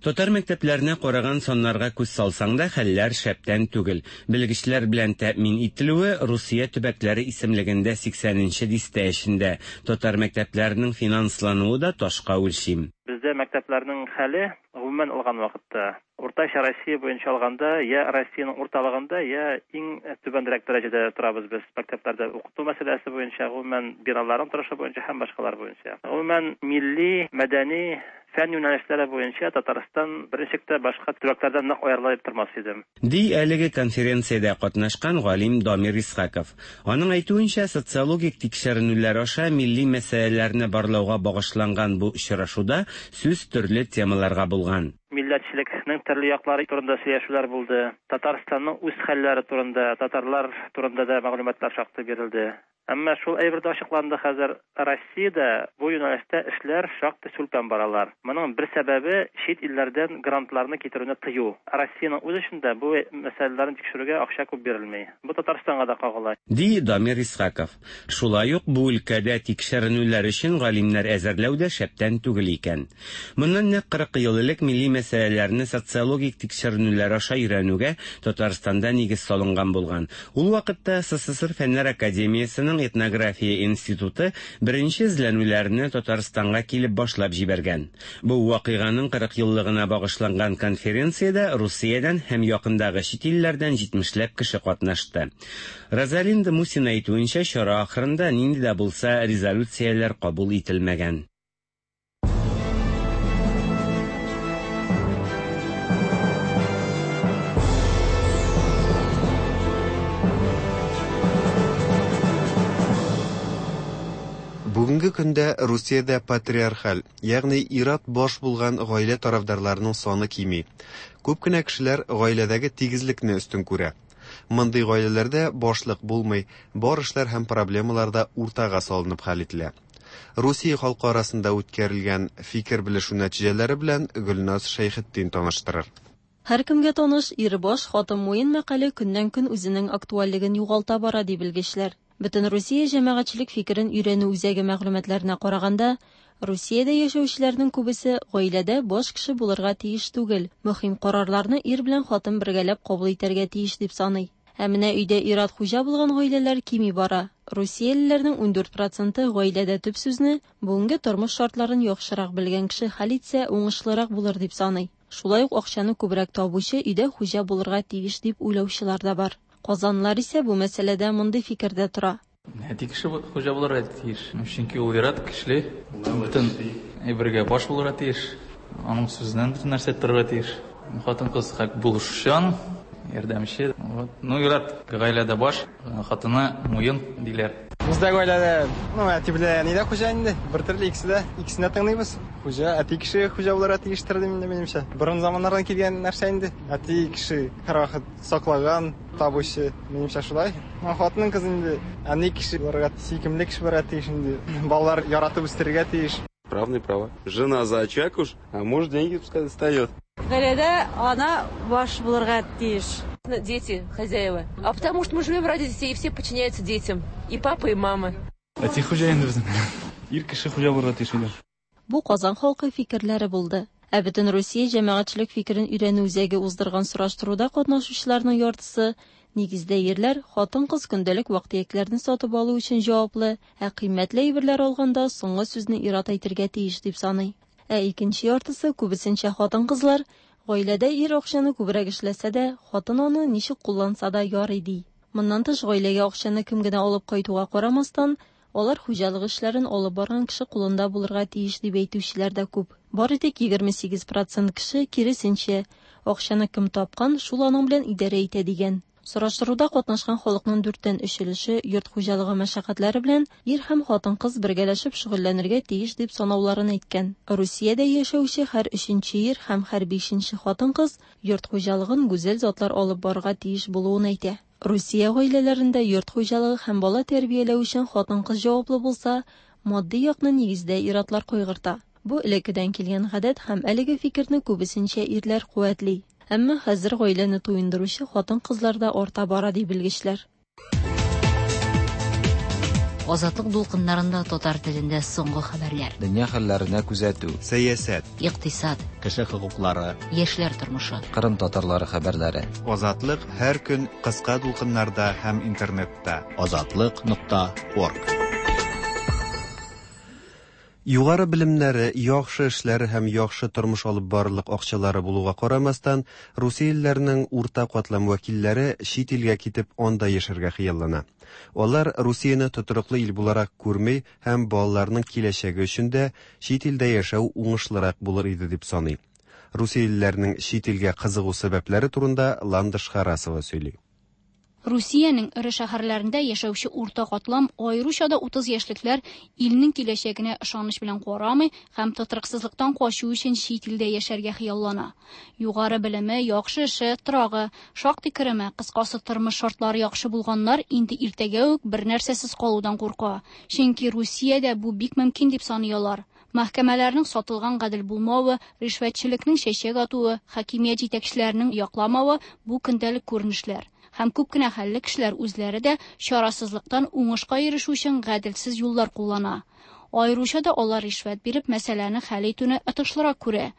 Татар мәктәпләренә караган саннарга күз салсаң да, хәлләр шәптән түгел. Белгечләр белән тәэмин ителүе Русия төбәкләре исемлегендә сиксәненче дистә эчендә. Татар мәктәпләренең финанслануы да ташка үлчим. Бездә мәктәпләрнең хәле гомумән алган вакытта уртача Россия буенча алганда, я Россиянең урталыгында, я иң түбәнрәк дәрәҗәдә торабыз без мәктәпләрдә укыту мәсьәләсе буенча, гомумән биналарның торышы буенча һәм башкалар буенча. Гомумән милли, мәдәни, фән юнәлешләре буенча Татарстан беренчелектә башка төбәкләрдән нык аерылып тормас идем. Ди әлеге конференциядә катнашкан галим Дамир Исхаков. Аның әйтүенчә, социологик тикшеренүләр аша милли мәсьәләләрне барлауга багышланган бу очрашуда сүз төрле темаларга булган. Милләтчелекнең төрле яклары турында сөйләшүләр булды. Татарстанның үз хәлләре турында, татарлар турында да мәгълүматлар шактый бирелде. Әмма шул әйбер дә ачыкланды, хәзер Россиядә бу юнәлештә эшләр шактый сүлпән баралар. Моның бер сәбәбе чит илләрдән грантларны китерүне тыю. Россиянең үз эчендә бу мәсьәләләрне тикшерүгә акча күп бирелми. Бу Татарстанга да кагыла. Ди Дамир Исхаков. Шулай ук бу өлкәдә тикшеренүләр өчен галимнәр әзерләү дә шәптән түгел икән. Моннан нәкъ кырык ел элек милли мәсьәләләрне социологик тикшеренүләр аша өйрәнүгә Татарстанда нигез салынган булган. Ул вакытта СССР Фәннәр Академиясенең Этнография институты беренче эзләнүләрне Татарстанга килеп башлап җибәргән. Бу вакыйганың кырык еллыгына багышланган конференциядә Русиядән һәм якындагы чит илләрдән җитмешләп кеше катнашты. Розалинда Мусина әйтүенчә, чара ахырында нинди дә булса резолюцияләр кабул ителмәгән. Бүгенге көндә Русиядә патриархаль, ягъни ир-ат баш булган гаилә тарафдарларының саны кими. Күп кенә кешеләр гаиләдәге тигезлекне өстен күрә. Мондый гаиләләрдә башлык булмый, бар эшләр һәм проблемалар да уртага салынып хәл ителә. Русия халкы арасында үткәрелгән фикер белешү нәтиҗәләре белән Гөлназ Шәйхетдин таныштырыр. Һәркемгә таныш ир баш, хатын муен мәкале көннән-көн үзенең актуальлеген югалта бара, ди белгечләр. Бөтен Русия җәмәгатьчелек фикерен өйрәнү үзәге мәгълүматларына караганда, Русиядә яшәүчеләрнең күбесе гаиләдә баш кеше булырга тиеш түгел, мөһим карарларны ир белән хатын бергәләп кабул итәргә тиеш дип саный. Ә менә өйдә ир-ат хуҗа булган гаиләләр кими бара. Русиялеләрнең ундүрт проценты гаиләдә төп сүзне бүгенге тормыш шартларын яхшырак белгән кеше хәл итсә уңышлырак булыр дип саный. Шулай ук акчаны күбрәк табучы өйдә хуҗа булырга тиеш дип уйлаучылар да бар. Казанлылар исә бу мәсьәләдә мондый фикердә тора. Әти кеше хуҗа булырга тиеш. Чөнки ул ир-ат көчле, бөтен әйбергә баш булырга тиеш. Аның сүзеннән бөтен нәрсә торырга тиеш. Хатын-кыз хак булышучан, ярдәмче. Вот. Ну, ир-ат гаиләдә баш, хатыны муен диләр. Бездә гаиләдә, ну, әти белән әни дә хуҗа инде. Бер төрле икесе дә, икесен дә тыңлыйбыз. Хуҗа, әти кеше хуҗа булырга тиештер дим инде минемчә. Борын заманнардан килгән нәрсә инде. Әти кеше һәрвакыт саклаган, табучы, минемчә шулай. Хатынның кыз инде әни кеше булырга, сөйкемле кеше булырга тиеш инде. Балалар яратып үстерергә тиеш. Правный права. Жена за очаг уж, а муж деньги пускай достает. Гаиләдә ана баш булырга тиеш. Дети хозяева. А потому что мы живем ради детей, и все подчиняются детям. И папа, и мама. Әти хуҗа инде безнең. Ир кеше хуҗа булырга тиеш инде. Бу Казан халкы фикерләре булды. Ә бөтен Русия җәмәгатьчелек фикерен өйрәнү үзәге уздырган сораштыруда катнашучыларның яртысы нигездә ирләр, хатын-кыз көндәлек вак-төякләрне сатып алу өчен җаваплы, ә кыйммәтле әйберләр алганда соңгы сүзне ир-ат әйтергә тиеш дип саный. Ә икенче яртысы күбесенчә хатын-кызлар, гаиләдә ир акчаны күбрәк эшләсә дә, хатын аны ничек кулланса да ярый ди. Моннан тыш гаиләгә акчаны кем генә алып кайтуга карамастан, алар хуҗалык эшләрен алып барган кеше кулында булырга тиеш дип әйтүчеләр дә күп. Бары тик егерме сигез процент кеше киресенчә, акчаны кем тапкан, шул аның белән идарә итә дигән. Сораштыруда катнашкан халыкның дүрттән өч өлеше йорт хуҗалыгы мәшәкатьләре белән ир һәм хатын-кыз бергәләшеп шөгыльләнергә тиеш дип санауларын әйткән. Русиядә яшәүче һәр өченче ир һәм һәр бишенче хатын-кыз йорт хуҗалыгын гүзәл затлар алып барырга тиеш булуын әйтә. Русия гаиләләрендә йорт хуҗалыгы һәм бала тәрбияләү өчен хатын-кыз җаваплы булса, матди якны нигездә ир-атлар кайгырта. Бу элеккедән килгән гадәт һәм әлеге фикерне күбесенчә ирләр куәтли. Әмма хәзер гаиләне туендыручы хатын-кызлар да арта бара ди белгечләр. Азатлык дулкыннарында татар телендә соңгы хәбәрләр. Дөнья хәлләренә күзәтү. Сәясәт. Икътисад. Кеше хокуклары. Яшьләр тормышы. Кырым татарлары хәбәрләре. Азатлык һәр көн кыска дулкыннарда һәм интернетта. Азатлык нокта орг. Югары белемнәре, яхшы эшләре һәм яхшы тормыш алып барырлык акчалары булуга карамастан, русиялеләрнең урта катлам вәкилләре чит илгә китеп анда яшәргә хыяллана. Алар Русияне тотрыклы ил буларак күрми һәм балаларның киләчәге өчен дә чит илдә яшәү уңышлырак булыр иде дип саный. Русиялеләрнең чит илгә кызыгу сәбәпләре турында Ландыш Харасова сөйли. Русиянең эре шәһәрләрендә яшәүче урта катлам, аеруча да утыз яшьлекләр илнең киләчәгенә ышаныч белән карамый һәм тотрыксызлыктан качу өчен чит илдә яшәргә хыяллана. Югары белеме, яхшы эше, торагы, шактый кереме, кыскасы тормыш шартлары яхшы булганнар инде иртәгә үк бер нәрсәсез калудан курка. Чөнки Русиядә бу бик мөмкин дип саный алар. Мәхкәмәләрнең сатылган гадел булмавы, ришвәтчелекнең чәчәк атуы, хакимият җитәкчеләренең якламавы бу көндәлек күренешләр. Һәм күп кенә хәлле кешеләр үзләре дә чарасызлыктан уңышка ирешү өчен гаделсез юллар куллана. Аеруча да алар ришвәт биреп мәсьәләне хәл итүне отышлырак күрә.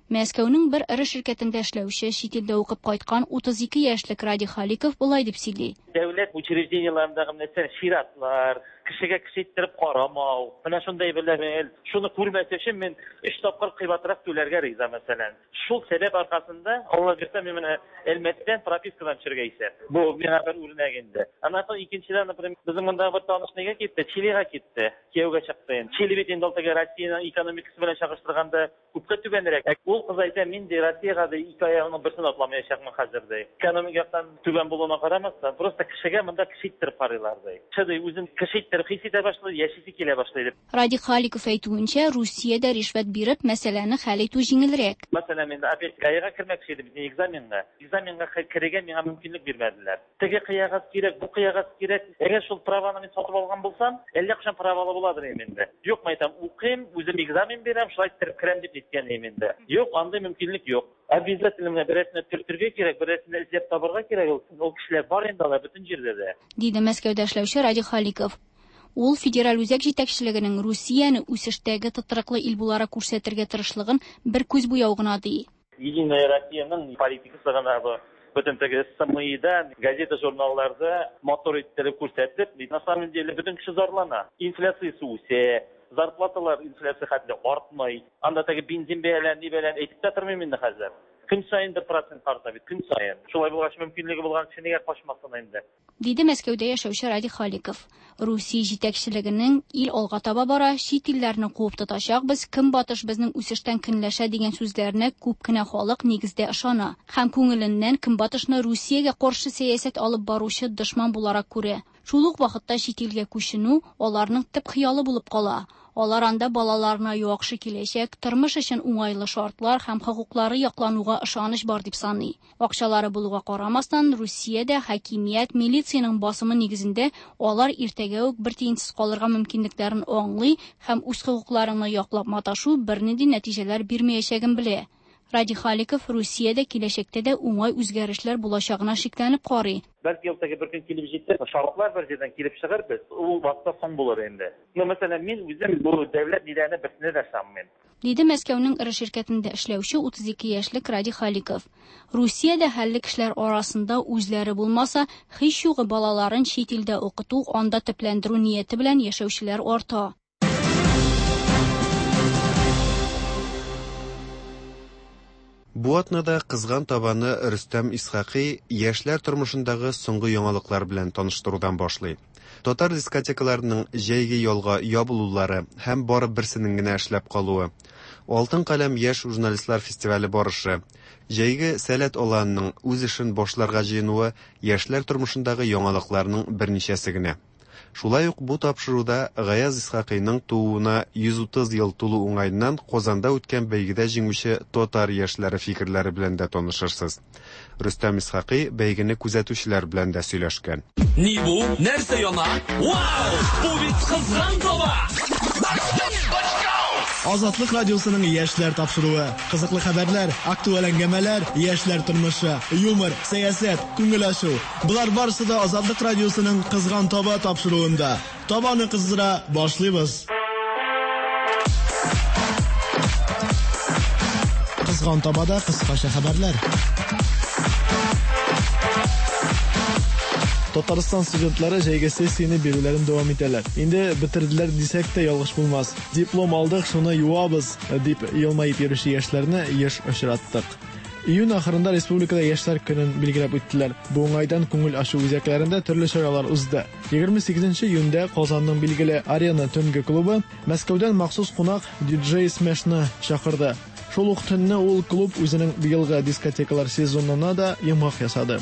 Мәскәүнең бер эре ширкәтендә эшләүче, чит илдә укып кайткан утыз ике яшьлек Радий Халиков болай дип сөйли. Дәүләт учреждениеләрендәге мәсәлән чиратлар, кешегә кеше иттереп карамау, менә шундай белән шуны күрмәс өчен мин өч тапкыр кыйбатрак түләргә риза мәсәлән. Шул сәбәп аркасында Алла бирсә мин менә Әлмәттән пропискадан төшергә исәп. Бу миңа бер үрнәк инде. Аннан соң икенчедән, например, безнең монда бер таныш нигә китте? Чилига китте. Кияүгә чыкты. Чили бит инде теге Россиянең экономикасы белән чагыштырганда күпкә түбәнрәк. Ул кыз әйтә, мин ди Россиягә ди ике аягының берсен атламаячакмын хәзер ди. Экономик яктан түбән булуына карамастан, просто кешегә монда кеше иттереп карыйлар ди. Кеше ди үзен кеше иттереп хис итә башлый, яшисе килә башлый дип. Радий Халиков әйтүенчә, Русиядә ришвәт биреп мәсьәләне хәл итү җиңелрәк. Мәсәлән, мин опять ГАИга кермәкче идем, экзаменга. Экзаменга керергә миңа мөмкинлек бирмәделәр. Теге кыягаз кирәк, бу кыягаз кирәк. Әгәр шул праваны мин сатып алган булсам, әллә кайчан правалы буладыр инде. Юк, мен әйтәм, укыйм, үзем экзамен бирәм, шулай иттереп керәм дип әйткән инде. Юк, андый мөмкинлек юк. Обязательно менә берәрсенә төртергә кирәк, берәрсенә эзләп табарга кирәк. Ул кешеләр бар инде алар бөтен җирдә дә. Диде Мәскәүдә эшләүче Радий Халиков. Ул федераль үзәк җитәкчелегенең Русияне үсештәге тотрыклы ил буларак күрсәтергә тырышлыгын бер күз буяу гына ди. Единая Россиянең политикасы гына бу. Бөтен теге СМИда, газета, журналларда мотор иттереп күрсәтеп, на самом деле бөтен кеше зарлана. Инфляциясе үсә, зарплаталар инфляция хәтле артмый. Анда теге бензин бәяләре, ни бәяләре әйтеп тә тормыйм инде хәзер. Көн саен бер процент арта бит, көн саен. Шулай булгач мөмкинлеге булган кеше нигә качмасын инде? Диде Мәскәүдә яшәүче Радий Халиков. Русия җитәкчелегенең ил алга таба бара, чит илләрне куып тотачакбыз, көнбатыш безнең үсештән көнләшә дигән сүзләренә күп кенә халык нигездә ышана. Һәм күңеленнән көнбатышны Русиягә каршы сәясәт алып баручы дошман буларак күрә. Шул ук вакытта чит илгә күченү аларның төп хыялы булып кала. Алар анда балаларына яхшы киләчәк, тормыш өчен уңайлы шартлар һәм хокуклары яклануга ышаныч бар дип саный. Акчалары булуга карамастан, Русиядә хакимият, милициянең басымы нигезендә алар иртәгә үк бер тиенсез калырга мөмкинлекләрен аңлый һәм үз хокукларını яклап маташу бернинди нәтиҗәләр бирмәячәген белә. Радий Халиков Русиядә киләчәктә дә уңай үзгәрешләр булачагына шикләнеп карый. Бәлки ул теге бер көн килеп җитәр, шартлар бер җирдән килеп чыгар, без ул вакытта соң булыр инде. Ну, мәсәлән, мин үзем бу дәүләт ниләренә берсенә дә ышанмыйм. Диде Мәскәүнең эре ширкәтендә эшләүче утыз ике яшьлек Радий Халиков. Русиядә хәлле кешеләр арасында үзләре булмаса, һич югы балаларын чит илдә укыту, анда төпләндерү нияте белән яшәүчеләр арта. Бу атнада кызган табаны Рөстәм Исхакый яшьләр тормышындагы соңгы яңалыклар белән таныштырудан башлый. Татар дискотекаларының җәйге ялга ябылулары һәм бары берсенең генә эшләп калуы, Алтын каләм яшь журналистлар фестивале барышы, җәйге Сәләт аланының үз эшен башларга җыенуы яшьләр тормышындагы яңалыкларның берничәсе генә. Шулай ук бу тапшыруда Гаяз Исхакыйның тууына йөз утыз ел тулу уңаеннан Казанда үткән бәйгедә җиңүче татар яшьләре фикерләре белән дә танышырсыз. Рөстәм Исхакый бәйгене күзәтүчеләр белән дә сөйләшкән. Ни бу? Нәрсә яна? Вау! Бу бит кызган таба! Азатлык радиосының яшьләр тапшыруы. Кызыклы хәбәрләр, актуаль әңгәмәләр, яшьләр тормышы, юмор, сәясәт, күңел ачу. Болар барысы да Азатлык радиосының Кызган таба тапшыруында. Табаны кыздыра башлыйбыз. Кызган табада кыскача хәбәрләр. Татарстан студентлары җәйге сессияне бирүләрен дәвам итәләр. Инде бетерделәр дисәк тә ялгыш булмас. Диплом алдык, шуны юабыз, дип елмаеп йөрүче яшьләрне еш очраттык. Июнь ахырында республикада яшьләр көнен билгеләп үттеләр. Бу уңайдан күңел ачу үзәкләрендә төрле чаралар узды. егерме сигезенче июньдә Казанның билгеле Арена төнге клубы Мәскәүдән махсус кунак диджей Смешны чакырды. Шул ук төнне ул клуб үзенең быелгы дискотекалар сезонына да йомгак ясады.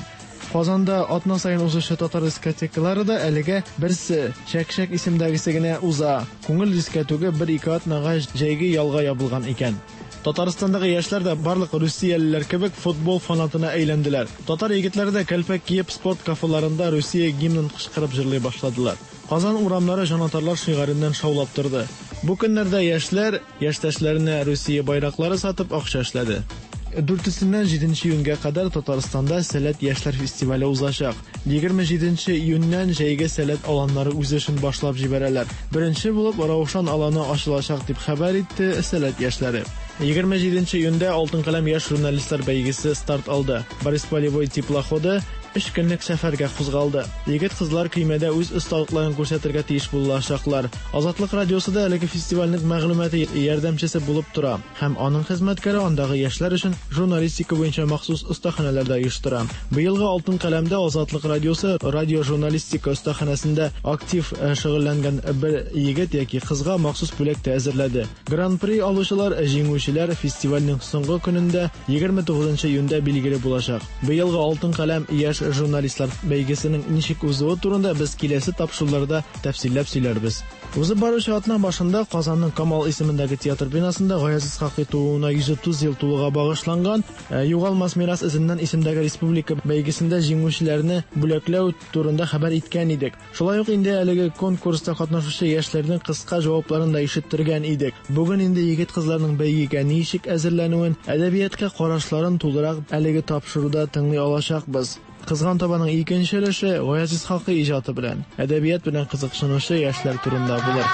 Казанда атна сайын узучы татар дискотекалары да әлегә берсе Чәк-чәк исемдәгесе генә уза. Күңел дискотеге бер-ике атнага җәйге ялга ябылган икән. Татарстандагы яшьләр дә барлык русиялеләр кебек футбол фанатына әйләнделәр. Татар егетләре дә кәлпәк киеп спорт кафеларында Русия гимнын кычкырып җырлый башладылар. Казан урамнары җанатарлар шигарыннан шаулап торды. Бу көннәрдә яшьләр яшьтәшләренә Русия байраклары сатып акча эшләде. Дүртесеннән җиденче июньгә кадәр Татарстанда Сәләт яшьләр фестивале узачак. егерме җиденче июньнән җәйге сәләт аланнары үз эшен башлап җибәрәләр. Беренче булып Раушан аланы ачылачак дип хәбәр итте Сәләт яшьләре. егерме җиденче июньдә Алтын каләм яшь журналистлар бәйгесе старт алды. Борис Полевой теплоходы өч көнлек сәфәргә кузгалды. Егет-кызлар көймәдә үз осталыкларын күрсәтергә тиеш булачаклар. Азатлык радиосы да әлеге фестивальнең мәгълүмати ярдәмчесе булып тора һәм аның хезмәткәре андагы яшьләр өчен журналистика буенча махсус остаханәләр дә оештыра. Быелгы Алтын каләмдә Азатлык радиосы радиожурналистика остаханәсендә актив шөгыльләнгән бер егет яки кызга махсус бүләк тә әзерләде. Гран-при алучылар, җиңүчеләр фестивальнең соңгы көнендә егерме тугызынчы июньдә билгеле булачак. Быелгы Алтын каләм яшь журналистлар бәйгесенең ничек узуы турында без киләсе тапшыруларда тәфсилләп сөйләрбез. Узып баручы атна башында Казанның Камал исемендәге театр бинасында Гаяз Исхакый тууына йөз утыз ел тулуга багышланган Югалмас мирас эзеннән исемдәге республика бәйгесендә җиңүчеләрне бүләкләү турында хәбәр иткән идек. Шулай ук инде әлеге конкурста катнашучы яшьләрнең кыска җавапларын да ишеттергән идек. Бүген инде егет-кызларның бәйгегә ничек әзерләнүен, әдәбиятка карашларын тулырак әлеге тапшыруда тыңлый алачакбыз. Кызган табаның икенче өлеше Гаяз Исхакый иҗаты белән, әдәбият белән кызыксынучы яшьләр турында булыр.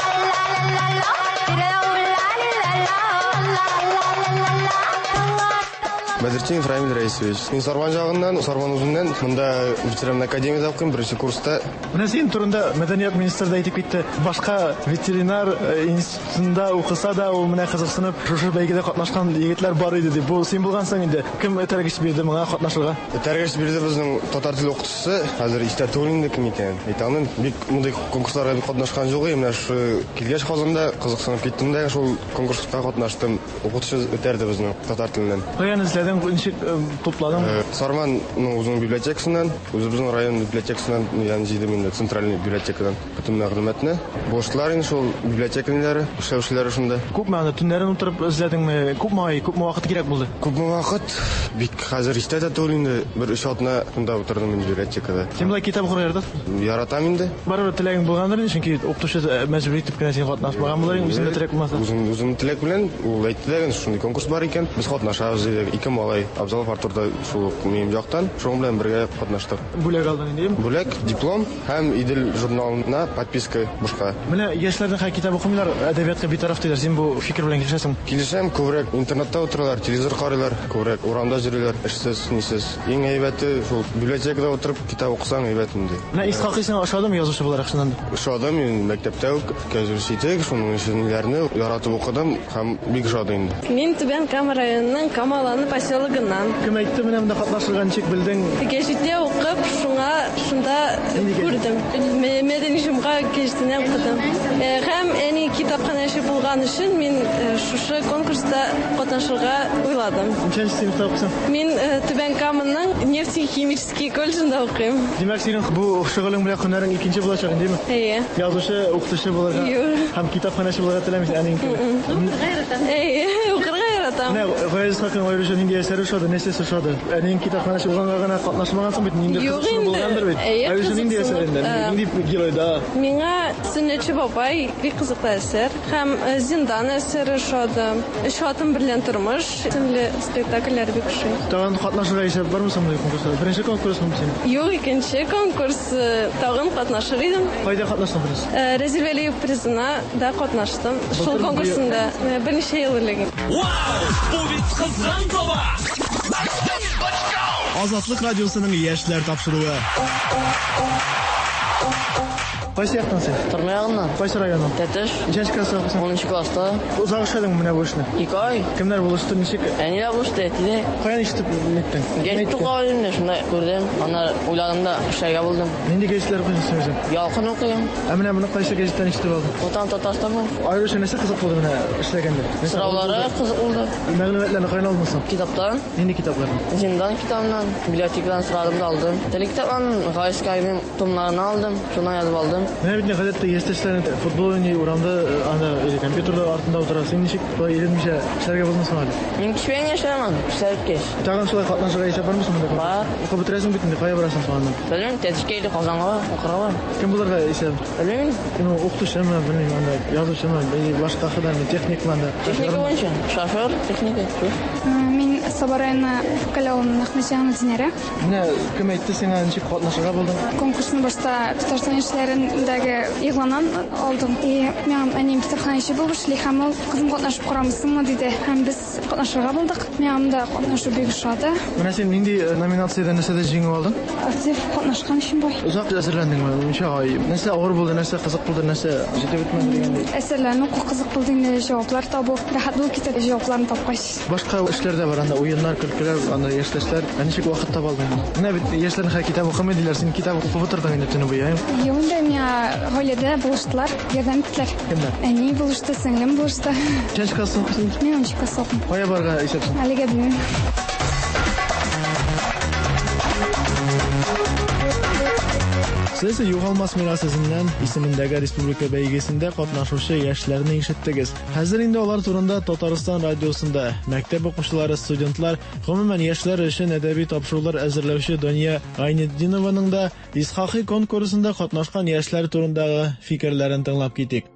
Бәдертдинов Рамиль Раисович. Мин Сарман ягыннан, Сарман үзеннән, монда ветеринар академиядә укыйм, беренче курста. Менә син турында мәдәният министры да әйтеп китте. Башка ветеринар институтында укыса да, ул менә кызыксынып шушы бәйгедә катнашкан егетләр бар иде дип. Бу син булгансың инде. Кем этәргеч бирде моңа катнашырга? Этәргеч бирде безнең татар теле укытучысы. Хәзер истә түгел инде кем икәнен. Әйтә алмыйм. Бик мондый конкурсларга бик катнашкан юк идем. Менә шушы килгәч Казанда кызыксынып киттем дә шул конкурска катнаштым. Укытучы этәрде безнең татар теленнән. Каян эзләдең, ничек тупладың? Сарманның үзенең библиотекасыннан, үзебезнең район библиотекасыннан, ягъни җыйдым инде центральный библиотекадан бөтен мәгълүматны. Булыштылар инде шул библиотека ниләре, эшләүчеләре шунда. Күпме аны төннәрен утырып эзләдеңме? Күпме ай, күпме вакыт кирәк булды? Күпме вакыт? Бик хәзер истә дә түгел инде. Бер өч атна шунда утырдым инде библиотекада. Син болай китап укырга яратасыңмы? Яратам инде. Барыбер теләгең булгандыр инде, чөнки укытучы мәҗбүр итеп кенә син катнашмаган булыр идең, үзеңдә теләк булмаса. Үзем үзем теләк белән ул әйтте дә, шундый конкурс бар икән, без катнашабыз диде. Ике малай, Абзалов Артур да шул ук минем яктан, шуның белән бергә катнаштык. Бүләк алдың инде, әйеме? Бүләк, диплом һәм Идел журналына подписка бушка. Менә яшьләрнең хәзер китап укымыйлар, әдәбиятка битараф диләр. Син бу фикер белән килешәсеңме? Килешәм, күбрәк интернетта утыралар, телевизор карыйлар, күбрәк урамда йөриләр, эшсез, нисез. Иң әйбәте шул библиотекада утырып китап укысаң әйбәт инде. Менә Исхакый сиңа ошадымы язучы буларак чыннан да? Ошады, мин мәктәптә үк Кәзүр Ситек, шуның өчен ниләрне яратып укыдым һәм бик ошады инде. Мин Түбән Кама районының Камаланы поселогыннан. Кем әйтте менә монда катнашырга, ничек белдең? Гәҗиттә укып, шуңа шунда күрдем. Мәдәни җомга гәҗитенә укыдым. Һәм әни китапханәче булган өчен мин шушы конкурста катнашырга уйладым. Ничәнче сыйныфта укыйсың? Мин Түбән Каманың нефтехимический колледжында укыйм. Димәк, синең бу шөгылең белән һөнәрең икенче булачак инде, әйеме? Әйе. Язучы, укытучы булырга һәм китапханәче булырга теләмисең, әниең кебек. Укырга яратам. Әйе, укырга яратам. Менә Гаяз Исхакыйның аеруча нинди әсәре ошады, нәрсәсе ошады? Әниең китапханәче булганга гына катнашмагансың бит, нинди кызыксыну булгандыр бит. Аеруча нинди әсәрендә, нинди геройда? Миңа Сөннәтче бабай бик кызыклы әсәр. Һәм Һәм Зиндан әсәре ошады. Өч хатын белән тормыш исемле спектакльләр бик ошый. Тагын катнашырга исәп бармы соң мондый конкурсларда? Беренче конкурсмы синең? Юк, икенче конкурс, тагын катнашыр идем. Кайда катнаштың беренче? Разил Вәлиев призына да катнаштым. Шул конкурсында берничә ел элек. Вау! Бу бит кызган таба! Азатлык радиосының яшьләр тапшыруы. Кайсы яктан син? Торма ягыннан. Кайсы районнан? Тәтеш. Ничәнче класста укыйсың? Унынчы класста. Озак эшләдеңме менә бу эшне? Ике ай. Кемнәр булышты, ничек? Әни дә булышты, әти дә. Каян ишетеп ниттең? Гәзит укып инде, шунда күрдем. Аннары уйладым да эшләргә булдым. Нинди гәзитләр укыйсың син үзең? Ялкын укыйм. Ә менә моны кайсы гәзиттән ишетеп алдың? Ватан Татарстанмы? Аеруча нәрсә кызык булды менә эшләгәндә? Сораулары кызык булды. Мәгълүматларны каян алдың соң? Китаптан. Нинди китаплардан? Зиндан китабыннан, библиотекадан сорадым да алдым. Теле китаптан Гайскайның томнарын алдым, шуннан язып алдым. Менә бит гадәттә яшьтәшләр футбол уйный, урамда анда или компьютерда артында утыра. Син ничек болай иренмичә эшләргә булдың соң әле? Мин кичкә яшәмәм, эшләп кич. Тагын шулай катнашырга исәп бармы соң монда? Бар. Укып бетерәсең бит инде, кая барасың соң аннан? Белмим, Тәтешкә или Казанга укырга барам. Кем булырга исәп? Белмим. Ну, укытучымы, белмим, анда язучымы, или башка һөнәрме, техникмы анда? Техника буенча, шофер, техника, шул. Мин Саба районы Күкәл авылының Әхмәтҗанова Динәрә. Менә кем әйтте сиңа, ничек катнашырга булдың? Конкурсны башта Татарстан яшьләрендәге игъланнан алдым. И миңа әнием китапханәче булып эшли һәм ул кызым катнашып карамыйсыңмы диде. Һәм без катнашырга булдык. Миңа монда катнашу бик ошады. Менә син нинди номинациядә нәрсәдә җиңү алдың? Актив катнашкан өчен бай. Озак әзерләндеңме? Ничә ай? Нәрсә авыр булды, нәрсә кызык булды, нәрсә җитеп бетмәде дигәндәй? Әсәрләрне уку кызык булды инде, җаваплар табу. Рәхәт булып китә җавапларны тапкач. Башка эшләр дә бар анда, уеннар, көлкеләр, анда яшьтәшләр. Ә ничек вакыт таба алдың? Менә бит яшьләрнең хәзер китап укымый диләр, син китап укып утырдың инде төне буе, әйе? Юк инде, миңа гаиләдә булыштылар, ярдәм иттеләр. Кемнәр? Әни булышты, сеңлем булышты. Ничәнче класста укыйсың? Мин унынчы класста укыйм. Кая барырга исәпсең? Әлегә белмим. Сез Югалмас мирас эзеннән исемендәге республика бәйгесендә катнашучы яшьләрне ишеттегез. Хәзер инде алар турында Татарстан радиосында мәктәп укучылары, студентлар, гомумән яшьләр өчен әдәби тапшырулар әзерләүче Дания Гайнетдинованың да Исхакый конкурсында катнашкан яшьләр турындагы фикерләрен тыңлап китик.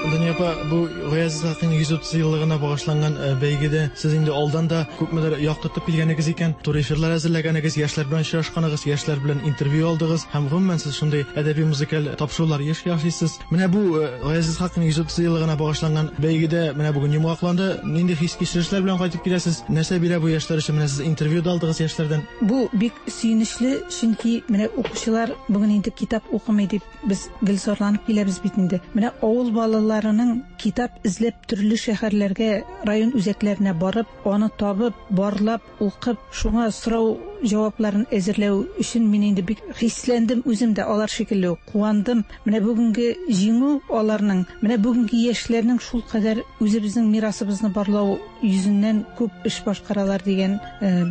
Дания апа, бу Гаяз Исхакыйның йөз утыз еллыгына багышланган бәйгедә сез инде алдан да күпмедер яктыртып килгәнегез икән, туры эфирлар әзерләгәнегез, яшьләр белән очрашканыгыз, яшьләр белән интервью алдыгыз һәм гомумән сез шундый әдәби музыкаль тапшырулар еш ясыйсыз. Менә бу Гаяз Исхакыйның йөз утыз еллыгына багышланган бәйгедә менә бүген йомгакланды. Нинди хис-кичерешләр белән кайтып киләсез? Нәрсә бирә бу яшьләр өчен? Менә сез интервью да алдыгыз яшьләрдән. Бу бик сөенечле, чөнки менә укучылар бүген инде китап укымый дип без гел зарланып киләбез бит инде. Менә авыл балаларының китап эзләп төрле шәһәрләргә, район үзәкләренә барып, аны табып, барлап, укып, шуңа сорау җавапларын әзерләү өчен мин инде бик хисләндем үзем дә алар шикелле куандым. Менә бүгенге җиңү аларның, менә бүгенге яшьләрнең шул кадәр үзебезнең мирасыбызны барлау йөзеннән күп эш башкаралар дигән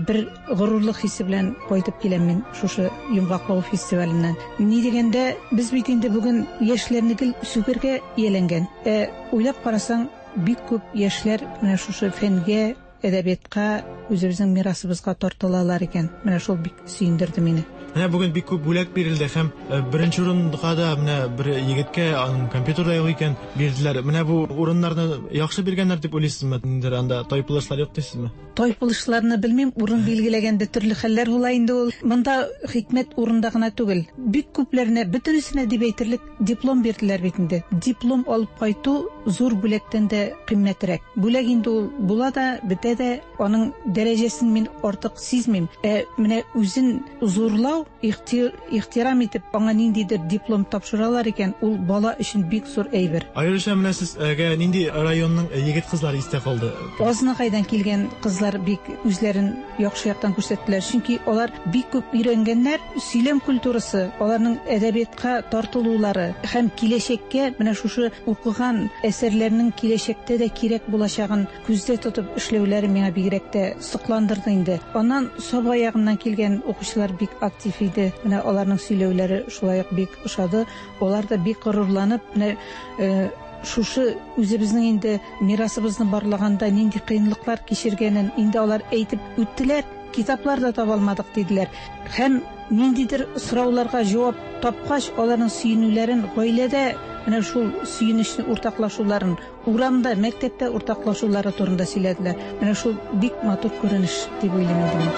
бер горурлык хисе белән кайтып киләм мин шушы йомгаклау фестиваленнән. Ни дигәндә, без бит инде бүген яшьләрне гел сүгергә ияләнгән. Ә уйлап карасаң, бик күп яшьләр менә шушы фәнгә, әдәбиятка, үзебезнең мирасыбызга тартылалар икән. Менә шул бик сөендерде мине. Менә бүген бик күп бүләк бирелде һәм беренче урынга да менә бер егеткә аның компьютерда юк икән бирделәр. Менә бу урыннарны яхшы биргәннәр дип уйлыйсызмы? Ниндидер анда тайпылышлар юк дисезме? Тайпылышларны белмим, урын билгеләгәндә төрле хәлләр була инде ул. Монда хикмәт урында гына түгел. Бик күпләренә, бөтенесенә дип әйтерлек диплом бирделәр бит инде. Диплом алып кайту зур бүләктән дә кыйммәтрәк. Бүләк инде ул була да, бетә дә, аның дәрәҗәсен мин артык сизмим. Ә менә үзен зурлау, ихтир, ихтирам итеп, аңа ниндидер диплом тапшыралар икән, ул бала өчен бик зур әйбер. Аеруча менә сезгә нинди районның егет кызлары истә калды? Азнакайдан килгән кызлар бик үзләрен яхшы яктан күрсәттеләр, чөнки алар бик күп өйрәнгәннәр, сөйләм культурасы, аларның әдәбиятка тартылулары һәм киләчәккә менә шушы укыган әсәрләрнең киләчәктә дә кирәк булачагын күздә тотып эшләүләре миңа бигрәк тә сокландырды инде. Аннан Саба ягыннан килгән укучылар бик актив иде. Менә аларның сөйләүләре шулай ук бик ошады. Алар да бик горурланып, менә шушы үзебезнең инде мирасыбызны барлаганда нинди кыенлыклар кичергәнен инде алар әйтеп үттеләр, китаплар да таба алмадык диделәр. Һәм Ниндидер сорауларга җавап тапкач, аларның сөенүләрен, гаиләдә менә шул сөенечне уртаклашуларын, урамда, мәктәптә уртаклашулары турында сөйләделәр. Менә шул бик матур күренеш дип уйлыйм инде мин.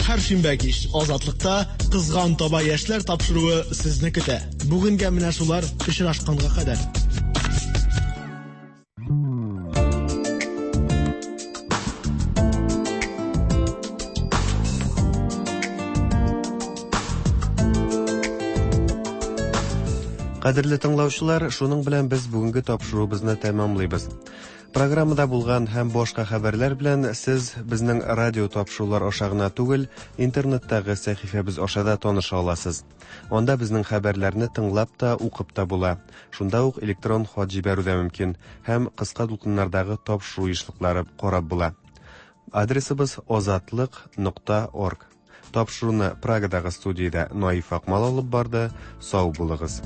Һәр шимбә кич Азатлыкта Кызган таба яшьләр тапшыруы сезне көтә. Бүгенгә менә шулар, очрашканга кадәр. Кадерле тыңлаучылар, шуның белән без бүгенге тапшыруыбызны тәмамлыйбыз. Программада булган һәм башка хәбәрләр белән сез безнең радио тапшырулар аша гына түгел, интернеттагы сәхифәбез аша да таныша аласыз. Анда безнең хәбәрләрне тыңлап та, укып та була. Шунда ук электрон хат җибәрү дә мөмкин һәм кыска дулкыннардагы тапшыру ешлыклары карап була. Адресыбыз озатлык нокта орг. Тапшыруны Прагадагы студиядә Наиф Акмал алып барды. Сау булыгыз.